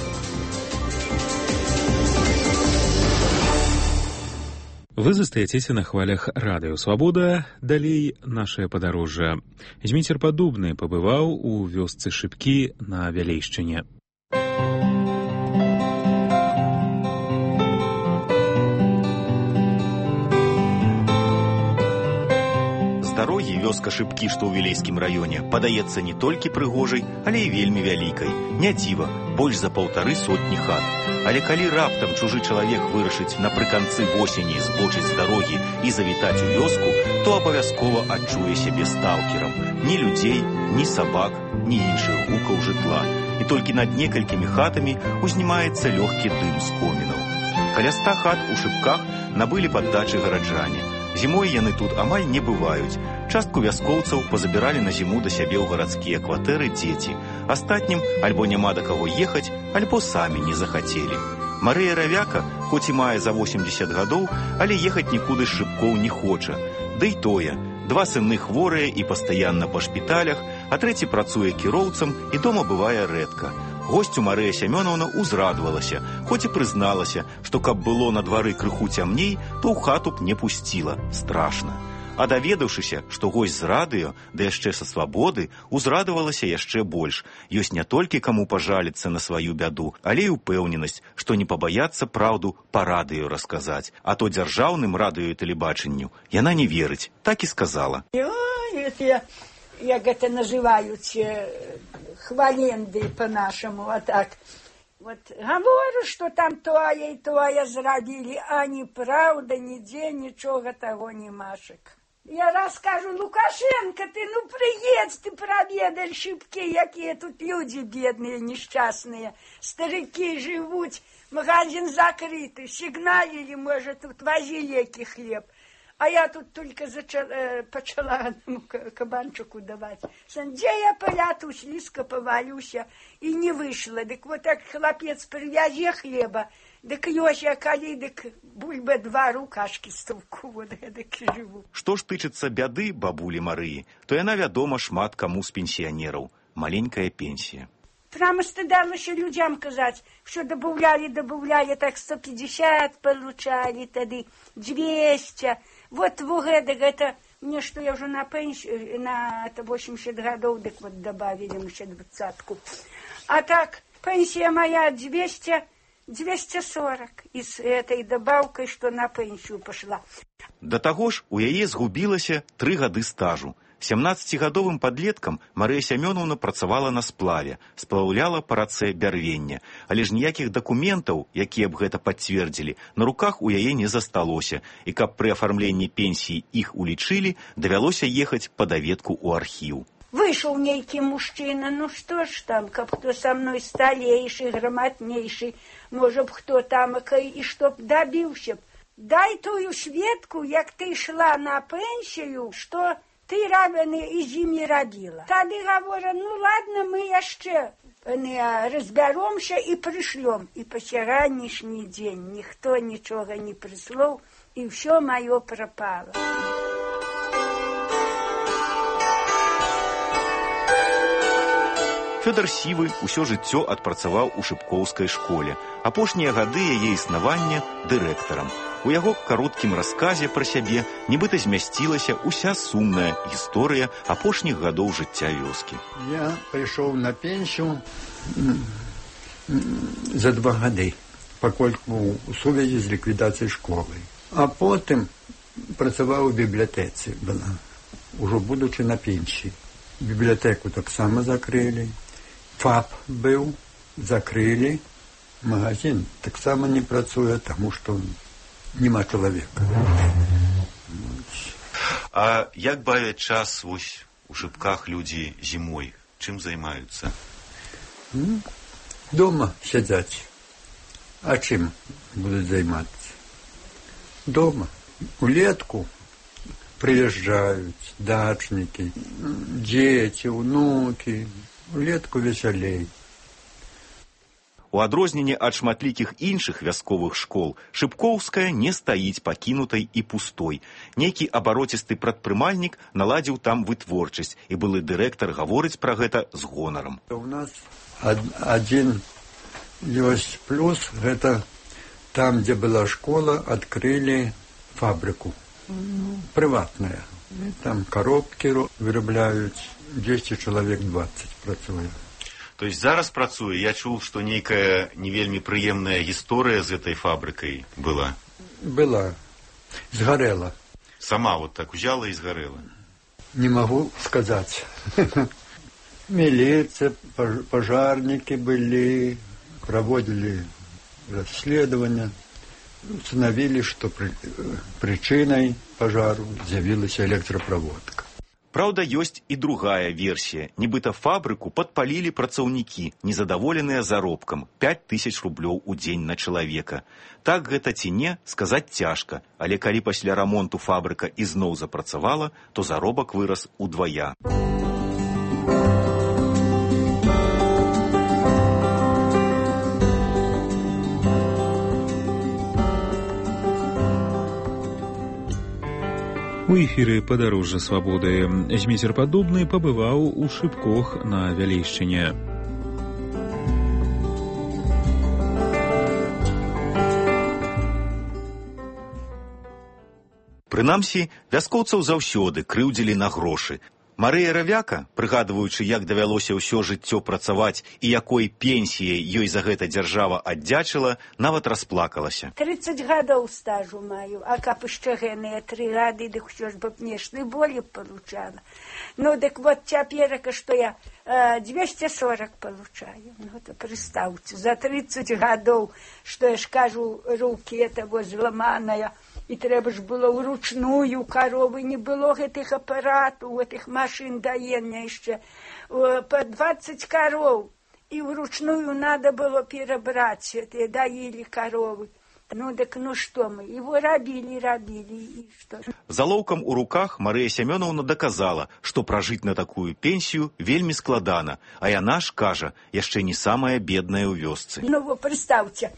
Вы застаецеся на хвалях радыё «Свабода», далей нашае падарожжа. Зміцер Падубны пабываў у вёсцы Шыпкі на Вялейшчыне. З дарогі вёска Шыпкі, што ў Вілейскім раёне, падаецца не толькі прыгожай, але і вельмі вялікай. Не дзіва, больш за паўтары сотні хат. Але калі раптам чужы чалавек вырашыць напрыканцы восені збочыць з дарогі і завітаць у вёску, то абавязкова адчуе сябе сталкерам. Ні людзей, ні сабак, ні іншых гукаў жытла. І толькі над некалькімі хатамі узнімаецца лёгкі дым з комінаў. Каля ста хат у Шыпках набылі паддачы гараджане. Зімой яны тут амаль не бываюць. Частку вяскоўцаў пазабіралі на зіму да сябе ў гарадскія кватэры дзеці. Астатнім альбо няма да каго ехаць, альбо самі не захацелі. Марыя Равяка, хоць і мае за восемдзесят гадоў, але ехаць нікуды з Шыпкоў не хоча. Ды й тое, два сыны хворыя і пастаянна па шпіталях, а трэці працуе кіроўцам і дома бывае рэдка. Госцю Марыя Сямёнаўна узрадавалася, хоць і прызналася, што каб было на двары крыху цямней, то ў хату б не пусціла. Страшна. А даведаўшыся, што госць з радыё, да яшчэ са свабоды, узрадавалася яшчэ больш. Ёсць не толькі каму пажаліцца на сваю бяду, але і ўпэўненасць, што не пабаяцца праўду па радыё расказаць. А то дзяржаўным радыё і тэлебачанню яна не верыць. Так і сказала. Як гэта называюць, хваленды по-нашаму, а так. Вот говорю, что там тое и тое зрабілі, а неправда, нідзе нічога таго не машек. Я раскажу, Лукашенко, ты ну приедь, ты проведай Шыпкі, якія тут люди бедные, несчастные, старики живут, магазин закрыты, сигналили, может, тут вози леки хлеб. А я тут только зачала, э, почала одному кабанчику давать. Где я поляту, слизко повалюся, и не вышла. Дык вот так хлопец привязи хлеба, дык ёся калі, дык бульба два рукашки стовку, вот эдак и живу. Што ж тычыцца бяды бабулі Марыі, то яна вядома шмат каму з пенсіянераў. Маленькая пенсія. Прямо стыдалася людям казаць, что добавляли, добавляли, так сто пятьдесят получали, тады двести. Вот в гэта, гэта Мне что, я уже на пенсию, на восемьдесят годов, так вот добавили еще двадцатку. А так, пенсия моя двести, двести сорок. И с этой добавкой, что на пенсию пошла. Да таго ж, у яе згубілася тры гады стажу. сямнаццацігадовым падлеткам Марыя Сямёнаўна працавала на сплаве, сплаўляла па рацэ бярвення, але ж ніякіх дакументаў, якія б гэта пацвердзілі, на руках у яе не засталося, і каб пры афармленні пенсіі іх улічылі, давялося ехаць па даведку ў архіў. Вышел нейкий мужчина, ну что ж там, как кто со мной столейший, грамотнейший, может, кто там, и чтоб добился. Дай тую сведку, як ты шла на пенсию, что ты рабыны и зимі робила. Тады говоря, ну ладно, мы яшчэ разберемся и пришлем. И по сегодняшний день никто ничего не прислал, и все мое пропало. Фёдор Сівы ўсё жыццё адпрацаваў у шыпкоўскай школе. Апошнія гады яе існавання дырэктарам. У яго кароткім расказе пра сябе нібыта змясцілася ўся сумная гісторыя апошніх гадоў жыцця вёскі. Я прыйшоў на пенсію за два гады, пакольку у сувязі з ліквідацыяй школы. А потым працаваў у бібліятэцы, была, ужо будучы на пенсіі. Бібліятэку таксама закрылі. ФАП быў, закрылі. Магазин таксама не працуе, таму што няма чалавека. А як бавяць час вось у Шыпках людзі зімой? Чым займаюцца? Дома сядзяць. А чым будуць займацца? Дома. Улетку прыязджаюць дачнікі, дзеці, унукі. Улетку весялей. У адрозненне ад шматлікіх іншых вясковых школ, Шыпкоўская не стаіць пакінутай і пустой. Нейкі абароцісты прадпрымальнік наладзіў там вытворчасць, і былы дырэктар гаворыць пра гэта з гонарам. У нас ад, адзін ёсць плюс, гэта там, дзе была школа, адкрылі фабрыку. Прыватная. Там коробкі вырабляюць, дзесьці чалавек дваццаць працуе. То есть зараз працуе, я чуў, што нейкая не вельмі прыемная гісторыя з этой фабрыкай была. Была. Згарэла. Сама вот так узяла і згарэла. Не магу сказаць. Міліцыя, пажарнікі былі, праводзілі расследаванне, установілі, што прычынай пажару з'явілася электраправодка. Праўда, ёсць і другая версія. Нібыта фабрыку падпалілі працаўнікі, незадаволеныя заробкам пяць тысяч рублёў у дзень на чалавека. Так гэта ці не, сказаць цяжка, але калі пасля рамонту фабрыка ізноў запрацавала, то заробак вырас удвая. У эфіры «Падарожжа свабоды» Зміцер Падобны пабываў у Шыпкох на Вялейшчыне. Прынамсі, вяскоўцаў заўсёды крыўдзілі на грошы. Марыя Равяка, прыгадваючы, як давялося ўсё жыццё працаваць і якой пенсіяй ёй за гэта дзяржава аддзячыла, нават расплакалася. тридцать гадоў стажу маю, а каб яшчэ гэныя тры гады, дык усё ж бы пнешны болі получала. Ну, дык вот цяперака, што я э, двести сорок получаю. Ну, то прыстаўце, за тридцать гадоў, што я ж кажу, рукі этого зламаная, і трэба ж было ўручную каровы, не было гэтых апаратаў, гэтых машин даення яшчэ, по двадцать коров, і ўручную надо было перабраць, это даілі коровы. Ну, так ну што мы, его рабілі, рабілі, і што? Залоўкам у руках Марыя Сямёнаўна доказала, што пражыць на такую пенсію вельмі складана, а яна ж, кажа, яшчэ не самая бедная ў вёсцы. Ну, вы представьте,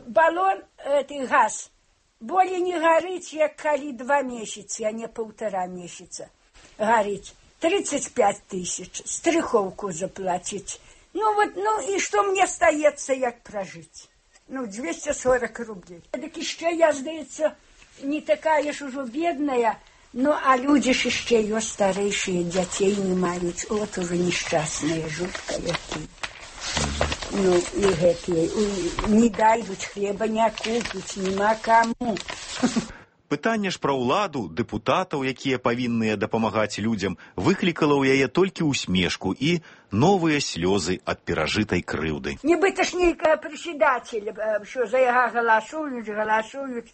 баллон, это газ, более не горить, як калі два месяца, а не полтора месяца горить. тридцать пять тысяч, страховку заплатить. Ну вот, ну и что мне остается, як прожить? Ну, двести сорок рублей. Так еще я, здається, не такая ж уже бедная, Ну, а люди ж еще ее старейшие, детей не мають. Вот уже несчастные, жутко какие. Ну, и гэтые, не дают хлеба, не купить, нема кому. Пытанне ж пра ўладу, дэпутатаў, якія павінныя дапамагаць людзям, выклікала ў яе толькі усмешку і новыя слёзы ад перажытай крыўды. Нібыта ж нейкая председателя, що за яго галасуюць, галасуюць.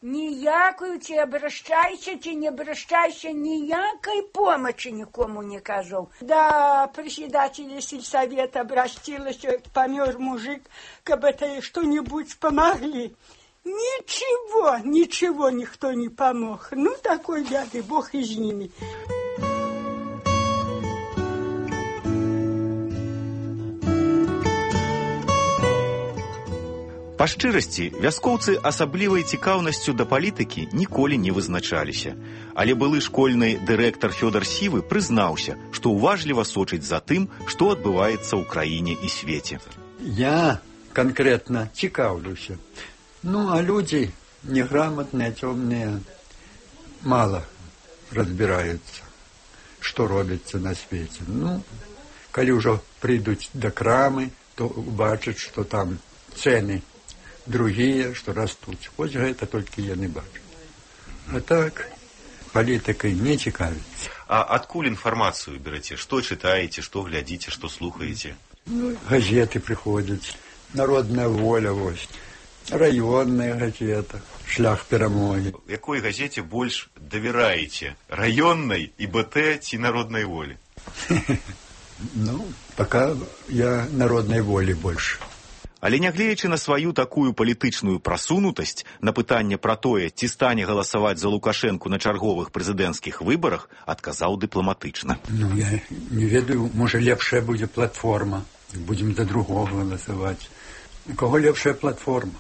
Ніякую ці абращайся, ці не абращайся, ніякай помощи нікому не казаў. Да председателя сельсовета обратилась, помер мужик, каб это что-нибудь помогли. Ничего, ничего никто не помог. Ну, такой бяды, Бог и с ними. Па шчырасці, вяскоўцы асаблівай цікаўнасцю да палітыкі ніколі не вызначаліся. Але былы школьны дырэктар Фёдор Сівы прызнаўся, што уважліва сочыць за тым, што адбываецца ў краіне і свеце. Я конкретно цікаўлюся. Ну, а люди неграмотные, темные, мало разбираются, что робится на свете. Ну, коли уже придут до крамы, то убачат, что там цены другие, что растут. Хоть это только я не бачу. А так, политикой не цікавится. А откуль информацию берете? Что читаете, что глядите, что слухаете? Ну, газеты приходят, «Народная воля», вот. Районная газета, «Шлях перамоги». Якой газете больш давяраеце? Районной, ИБТ ці «Народной волі»? Ну, пока я «Народной воли» больше. Але нягледзячы на сваю такую палітычную прасунутасць, на пытанне пра тое, ці стане галасаваць за Лукашэнку на чарговых прэзідэнцкіх выбарах, адказаў дыпламатычна. Ну, я не ведаю, можа лепшая будзе платформа. Будзем за другого галасаваць. У кого лепшая платформа?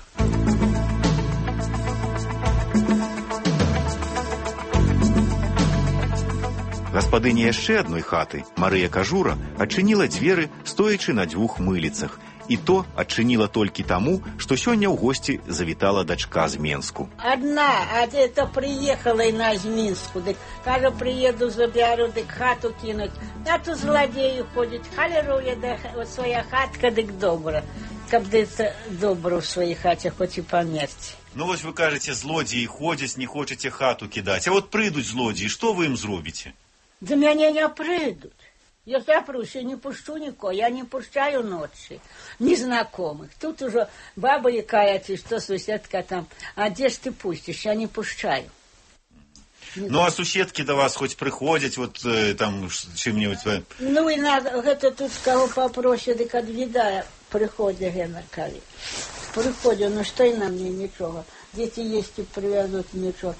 Гаспадыня яшчэ адной хаты, Марыя Кажура, адчыніла дзверы, стоячы на дзвюх мыліцах. І то адчыніла толькі таму, што сёння ў госці завітала дачка з Менску. Одна, а это приехала на з Минску, дык, кажа, приеду, заберу, дык хату кинуть. А то злодеи ходят, халеруя, да своя хатка, дык добра. Каб это добро в своей хате, хоть и померти. Ну, вось вы кажете, злодеи ходят, не хочете хату кидать. А вот придут злодеи, что вы им зробите? Да меня не придут. Я запрусь, я не пущу никого, я не пущаю ночи, незнакомых. Тут уже баба якаяться, что соседка там, а где ж ты пустишь, я не пущаю. Ну, а суседки до вас хоть приходят, вот э, там, чем-нибудь... Ну, и надо, это тут кого попроще, так отвидая, приходят, генеркали. Приходят, ну, что и на мне ничего. Дети есть и привезут, ничего.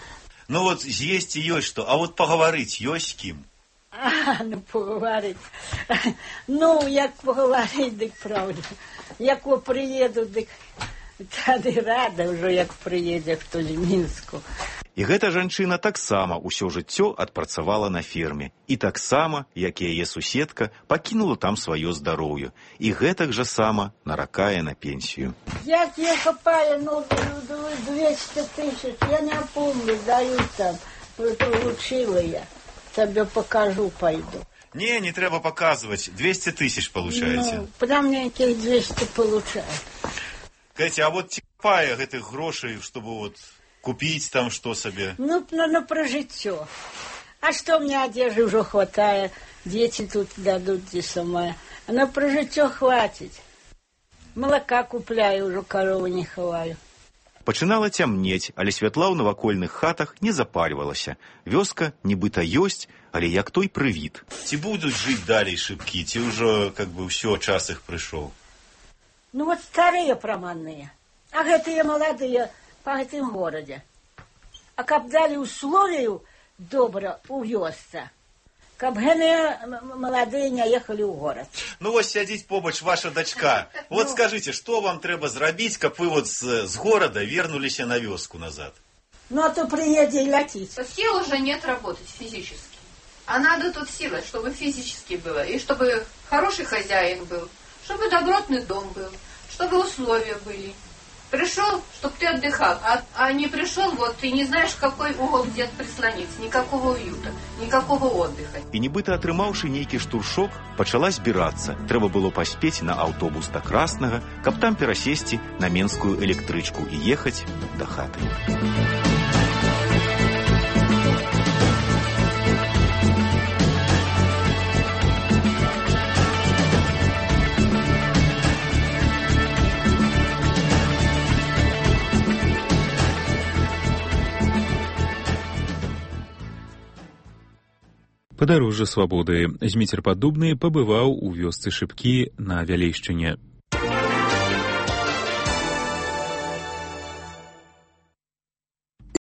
Ну, вот есть и есть что, а вот поговорить есть с кем? А, ну, поговорить. Ну, як поговорить, дик правда. Як приеду, дик тады рада уже, як приедет хто з Мінску. І гэта жанчына таксама ўсё жыццё адпрацавала на ферме. І таксама, як і яе суседка, пакінула там сваё здароўе. І гэтак жа сама наракае на пенсію. Як я копаю, ну, двести тысяч, я не помню, дают там, получила я. Тебе покажу, пойду. Не, не треба показывать. двести тысяч получаете. Ну, прям мне этих двести получаю. Катя, а вот типая этих грошей, чтобы вот купить там что себе? Ну, ну, ну про житё. А что мне одежды уже хватает? Дети тут дадут, где сама. А на про житё хватит. Молока купляю, уже корову не ховаю. Пачынала цямнець, але святла ў навакольных хатах не запальвалася. Вёска нібыта ёсць, але як той прывід. Ці будуць жыць далей шыбкі, ці ўжо, как бы, ўсё, час іх прыйшоў? Ну, вот старыя праманныя, а гэтыя маладыя па гэтым горадзе. А каб далі условію добра ў вёсцы, каб гэтыя маладыя не ехалі ў горад. Ну, вось сядзіць побач ваша дачка. Вот скажите, что вам трэба зрабіць, каб вы вот с, с города вернулись на вёску назад? Ну, а то приедет и летит. Сил уже нет работать физически. А надо тут силы, чтобы физически было. И чтобы хороший хозяин был. Чтобы добротный дом был. Чтобы условия были. Пришел, чтобы ты отдыхал, а, а не пришел, вот ты не знаешь, в какой угол где-то прислониться. Никакого уюта, никакого отдыха. І нібыта атрымаўшы нейкі штуршок, пачала збірацца. Трэба было паспець на аўтобус да Краснага, каб там перасесці на менскую электрычку і ехаць да хаты. Падарожжа свабоды. Зміцер Паддубны пабываў у вёсцы Шыпкі на Вялейшчыне.